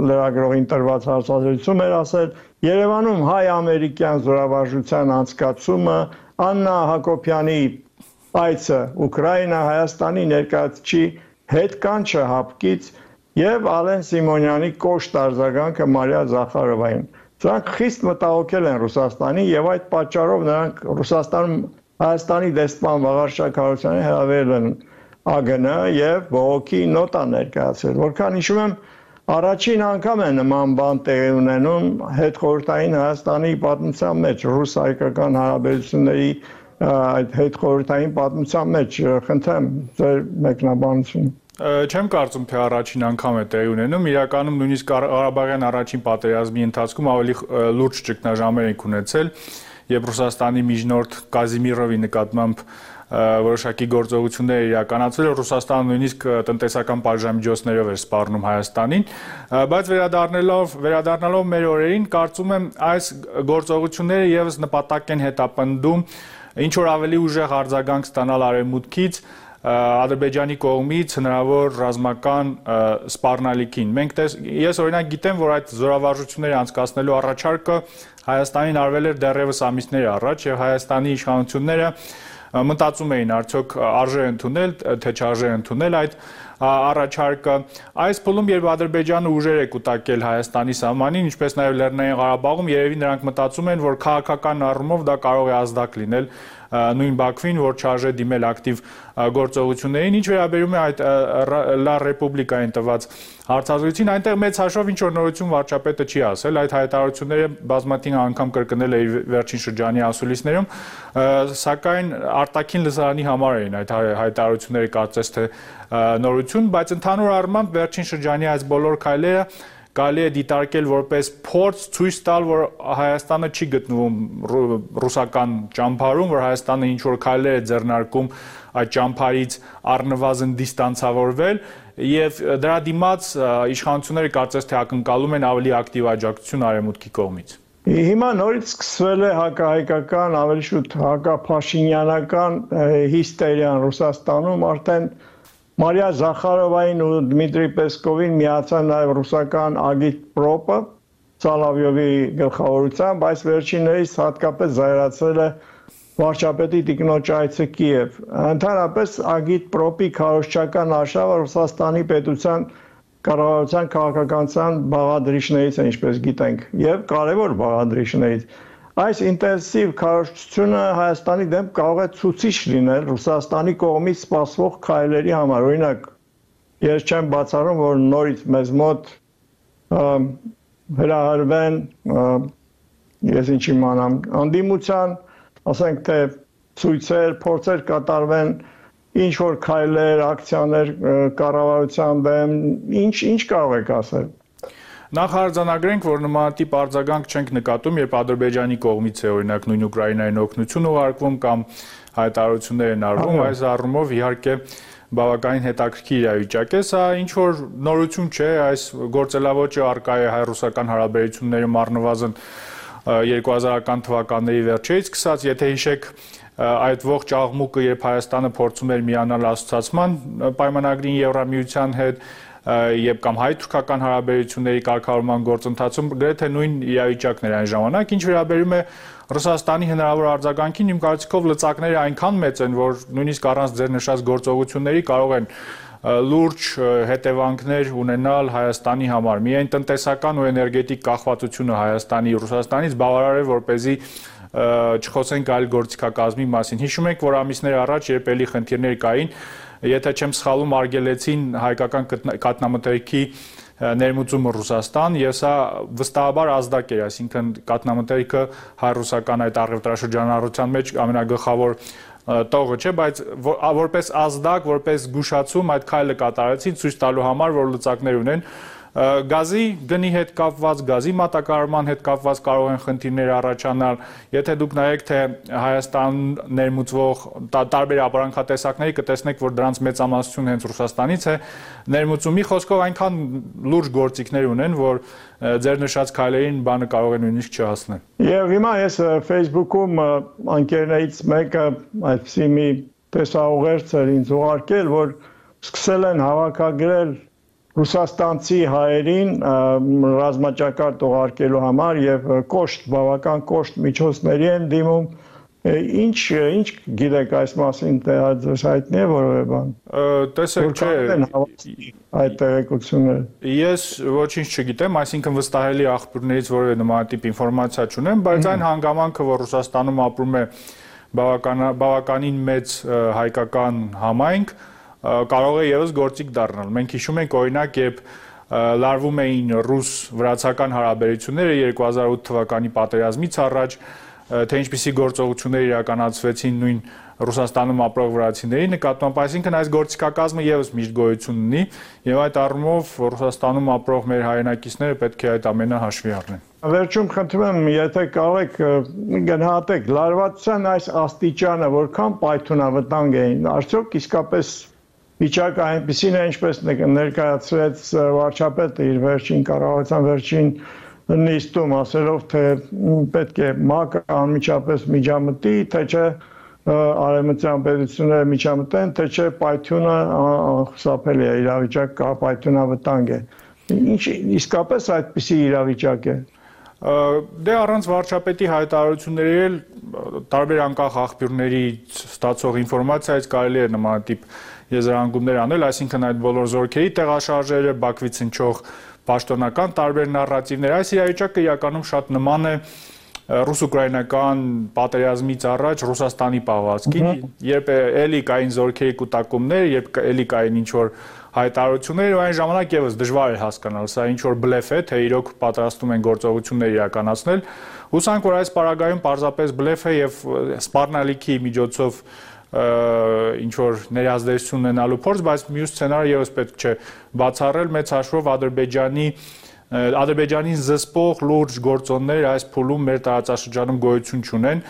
լրագրողին տրված հարցազրույցում էր ասել, Երևանում հայ-ամերիկյան զորավարժության անցկացումը, Աննա Հակոբյանի այցը Ուկրաինա, Հայաստանի ներկայացուցիչի հետ կանչը հապկից եւ Ալեն Սիմոնյանի կոշտ արձագանքը Մարիա Զախարովային։ Սրանք խիստ մտահոգել են Ռուսաստանին եւ այդ պատճառով նրանք Ռուսաստանում Հայաստանի դեսպան Վաղարշակ Հարությունյանի հրավիրել են ԱԳՆ եւ բողոքի նոտա ներկայացրել։ Որքան հիշում եմ, առաջին անգամ է նման բան տեղի ունենում հետխորհրդային Հայաստանի պատմության մեջ, ռուս-հայկական հարաբերությունների այդ հետխորհրդային պատմության մեջ։ Խնդրեմ ձեր մեկնաբանությունը։ Չեմ կարծում, թե առաջին անգամ է տեղի ունենում, իրականում նույնիսկ Ղարաբաղյան առաջին պատերազմի ընթացքում ավելի լուրջ ճգնաժամեր ենք ունեցել, երբ Ռուսաստանի միջնորդ Կազիմիրովի նկատմամբ որոշակի գործողություններ իրականացվել, Ռուսաստանը նույնիսկ տնտեսական պատժամիջոցներով էր սպառնում Հայաստանին, բայց վերադառնալով մեր օրերին, կարծում եմ այս գործողությունները եւս նպատակ են հետապնդում ինչ որ ավելի ուժեղ արձագանք ստանալ արևմուտքից Ադրբեջանի կողմից հնարավոր ռազմական սպառնալիքին։ Ես օրինակ գիտեմ, որ այդ զորավարժությունները անցկացնելու առաջարկը Հայաստանին արվել էր դեռևս ամիսներ առաջ եւ Հայաստանի իշխանությունները մտածում էին արդյոք արժե ընդունել, թե չարժե ընդունել այդ առաջարկը։ Այս փուլում, երբ Ադրբեջանը ուժեր է կուտակել Հայաստանի սահմանին, ինչպես նաև Լեռնային Ղարաբաղում, երևի նրանք մտածում են, որ քաղաքական առումով դա կարող է ազդակ լինել նույն Բաքվին, որ չարժե դիմել ակտիվ գործողություններին, ինչ վերաբերում է այդ Լա Ռեպուբլիկային տված հարցազրույցին, այնտեղ մեծ հաշվով ինչ որ նորություն վարչապետը չի ասել, այդ հայտարարությունները բազմաթիվ անգամ կրկնել է իր վերջին շրջանի ասուլիսներում, սակայն արտաքին լսարանի համար էին այդ հայտարարությունները կարծես թե նորություն, բայց ընդհանուր առմամբ վերջին շրջանի այս բոլոր քայլերը կարելի է դիտարկել որպես փորձ ցույց տալ, որ Հայաստանը չի գտնվում ռուսական ճամբարում, որ Հայաստանը ինչ որ քայլեր է ձեռնարկում այդ ճամբարից առնվազն դիստանցավորվել եւ դրա դիմաց իշխանությունները կարծես թե ակնկալում են ավելի ակտիվ աջակցություն արևմուտքի կողմից։ Հիմա նորից սկսվել է հակահայկական, ավելի շուտ հակափաշինյանական հիստերիան Ռուսաստանում, արդեն Մարիա Զախարովային ու Դմիտրի Պեսկովին միացան նաև ռուսական Agitprop-ը Սալավյովի գլխավորությամբ, այս վերջիններից հատկապես զայրացել է վարչապետի տիկնոջ այցը Կիև։ Ընդհանրապես Agitprop-ի քարոզչական արշավը Ռուսաստանի պետության կառավարության քաղաքականության բաղադրիչներից է, ինչպես գիտենք, եւ կարևոր բաղադրիչներից։ Այս ինտենսիվ քարոզչությունը Հայաստանի դեմ կարող է ցուցիչ լինել Ռուսաստանի կողմից սպասվող քայլերի համար։ Օրինակ, ես չեմ բացառում, որ նորից մեզ մոտ հրահրվեն, ես ինչ իմանամ, անդիմության, ասենք թե ցույցեր, փորձեր կատարվեն, ինչ որ քայլեր, ակցիաներ կառավարության դեմ, ինչ կարող եք ասել։ Նախ արձանագրենք, որ նմանատիպ արձագանք չենք նկատում, երբ Ադրբեջանի կողմից է օրինակ նույն Ուկրաինային օգնություն ուղարկվում կամ հայտարարություններ են արվում, այս առումով իհարկե բավականին հետաքրքիր իրավիճակ է, սա ինչ որ նորություն չէ, այս գործելավոճը առկա է հայ-ռուսական հարաբերություններում առնվազն 2000-ական թվականների վերջերից սկսած, եթե հիշեք այդ ողջ աղմուկը, երբ Հայաստանը փորձում էր միանալ ասոցիացման պայմանագրին Եվրամիության հետ, եւ կամ հայ-թուրքական հարաբերությունների կարգավորման գործընթացում գրեթե նույն իրավիճակն էր այն ժամանակ, ինչ վերաբերում է Ռուսաստանի հնարավոր արձագանքին, իմ կարծիքով լծակները այնքան մեծ են, որ նույնիսկ առանց ձեր նշած գործողությունների կարող են լուրջ հետևանքներ ունենալ Հայաստանի համար։ Միայն տնտեսական ու էներգետիկ կախվածությունը Հայաստանի Ռուսաստանից բավարար է, որպեսզի չխոսենք այլ գործիքակազմի մասին։ Հիշում եք, որ ամիսներ առաջ երբ էլի խնդիրներ կային, եթե չեմ սխալվում, արգելեցին հայկական կաթնամթերքի ներմուծումը Ռուսաստան, եւ սա վստահաբար ազդակ էր, այսինքն կաթնամթերքը հայ-ռուսական այդ առևտրաշրջանառության մեջ ամենագլխավոր տողը չէ, բայց որպես ազդակ, որպես զգուշացում այդ քայլը կատարեցին ցույց տալու համար, որ լծակներ ունեն։ Գազի գնի հետ կապված, գազի մատակարարման հետ կապված կարող են խնդիրներ առաջանալ, եթե դուք նայեք, թե Հայաստան ներմուծվող տարբեր ապրանքատեսակների կտեսնեք, որ դրանց մեծամասնությունը հենց Ռուսաստանից է ներմուծում։ Մի խոսքով այնքան լուրջ գործիքներ ունեն, որ ձեր նշած քայլերին բանը կարող է նույնիսկ չհասնել։ Եվ հիմա ես Facebook-ում անկերներից մեկը այդպիսի մի տեսաուղերձ էր ինձ ուղարկել, որ սկսել են հավաքագրել ռուսաստանցի հայերին ռազմաճակատ ուղարկելու համար եւ կոշտ, բավական կոշտ միջոցների են դիմում։ Ինչ գիտեք այս մասին, թե հայտնի է որևէ բան։ Տեսեք, չէ, այդ տեղեկությունները։ Ես ոչինչ չգիտեմ, այսինքն վստահելի աղբյուրներից որևէ նմանատիպ ինֆորմացիա չունեմ, բայց այն հանգամանքը, որ Ռուսաստանում ապրում է բավականին մեծ հայկական համայնք, կարող է եւս գործիք դառնալ։ Մենք հիշում ենք օրինակ, երբ լարվում էին ռուս-վրացական հարաբերությունները 2008 թվականի պատերազմից առաջ, թե ինչպիսի գործողություններ իրականացվեցին նույն Ռուսաստանում ապրող վրացիների նկատմամբ, այսինքն այս գործիքակազմը եւս միշտ գոյություն ունի, եւ այդ առումով Ռուսաստանում ապրող մեր հայրենակիցները պետք է այդ ամենը հաշվի առնեն։ Վերջում խնդրում եմ, եթե կարող եք գնահատեք լարվածության այս աստիճանը, որքան պայթունավտանգ էին, արդյոք իսկապես վիճակը այնպիսին է, ինչպես ներկայացրեց վարչապետը իր վերջին կառավարության վերջին նիստում, ասելով, թե պետք է ՄԱԿ-ը անմիջապես միջամտի, թե չէ արևմտյան պետությունները միջամտեն, թե չէ պայթյունը խուսափելի է, իրավիճակ պայթյունավտանգ է։ Ինչ իսկապես այդպիսի իրավիճակ է։ Դե առանց վարչապետի հայտարարությունների էլ տարբեր անկախ աղբյուրներից ստացող ինֆորմացիայից կարելի է նմանատիպ եզրահանգումներ անել, այսինքն այդ բոլոր զորքերի տեղաշարժերը, Բաքվից հնչող պաշտոնական տարբեր նարատիվներ, այս իրավիճակը իրականում շատ նման է ռուս-ուկրաինական պատերազմից առաջ Ռուսաստանի պահվածքին, երբ էլի կային զորքերի կուտակումներ, երբ էլի կային ինչ-որ հայտարարություններ, ու այն ժամանակ եւս դժվար է հասկանալ, սա ինչ-որ բլեֆ է, թե իրոք պատրաստում են գործողություններ իրականացնել։ Հուսանք, որ այս պարագայում պարզապես բլեֆ է եւ սպառնալիքի միջոցով ինչ-որ ներազդեցություն ունենալու փորձ, բայց մյուս սցենարը եւս պետք չէ բացառել մեծ հաշվով Ադրբեջանի Ադրբեջանին զսպող լուրջ գործոններ այս փուլում մեր տարածաշրջանում գոյություն չունեն։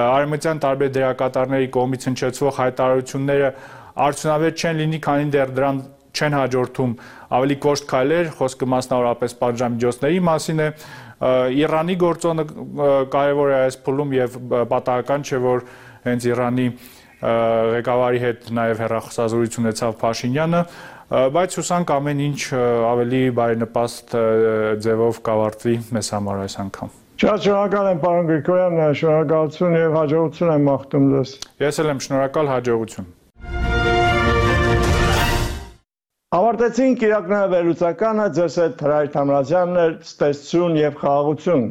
Արևմտյան տարբեր դերակատարների կողմից հնչեցվող հայտարարությունները արդյունավետ չեն լինի, քանի դեռ դրան չեն հաջորդում ավելի կոշտ քայլեր, խոսքը մասնավորապես պատժամիջոցների մասին է։ Իրանի գործոնը կարևոր է այս փուլում եւ պատահական չէ, որ հենց Իրանի ղեկավարի հետ նաեւ հեռախոսազրույց ունեցավ Փաշինյանը, բայց հուսանք ամեն ինչ ավելի բարենպաստ ձևով կավարտվի մեզ համար այս անգամ։ Շնորհակալ եմ պարոն Գրիգորյան, շնորհակալություն եւ հաջողություն եմ մաղթում ձեզ։ Ես էլ եմ շնորհակալ, հաջողություն։ Ավարտեցինք իրակնահայ վերլուծականը, ձեզ հետ Հրայր Թամրազյանն էր, ստեսություն եւ խաղաղություն։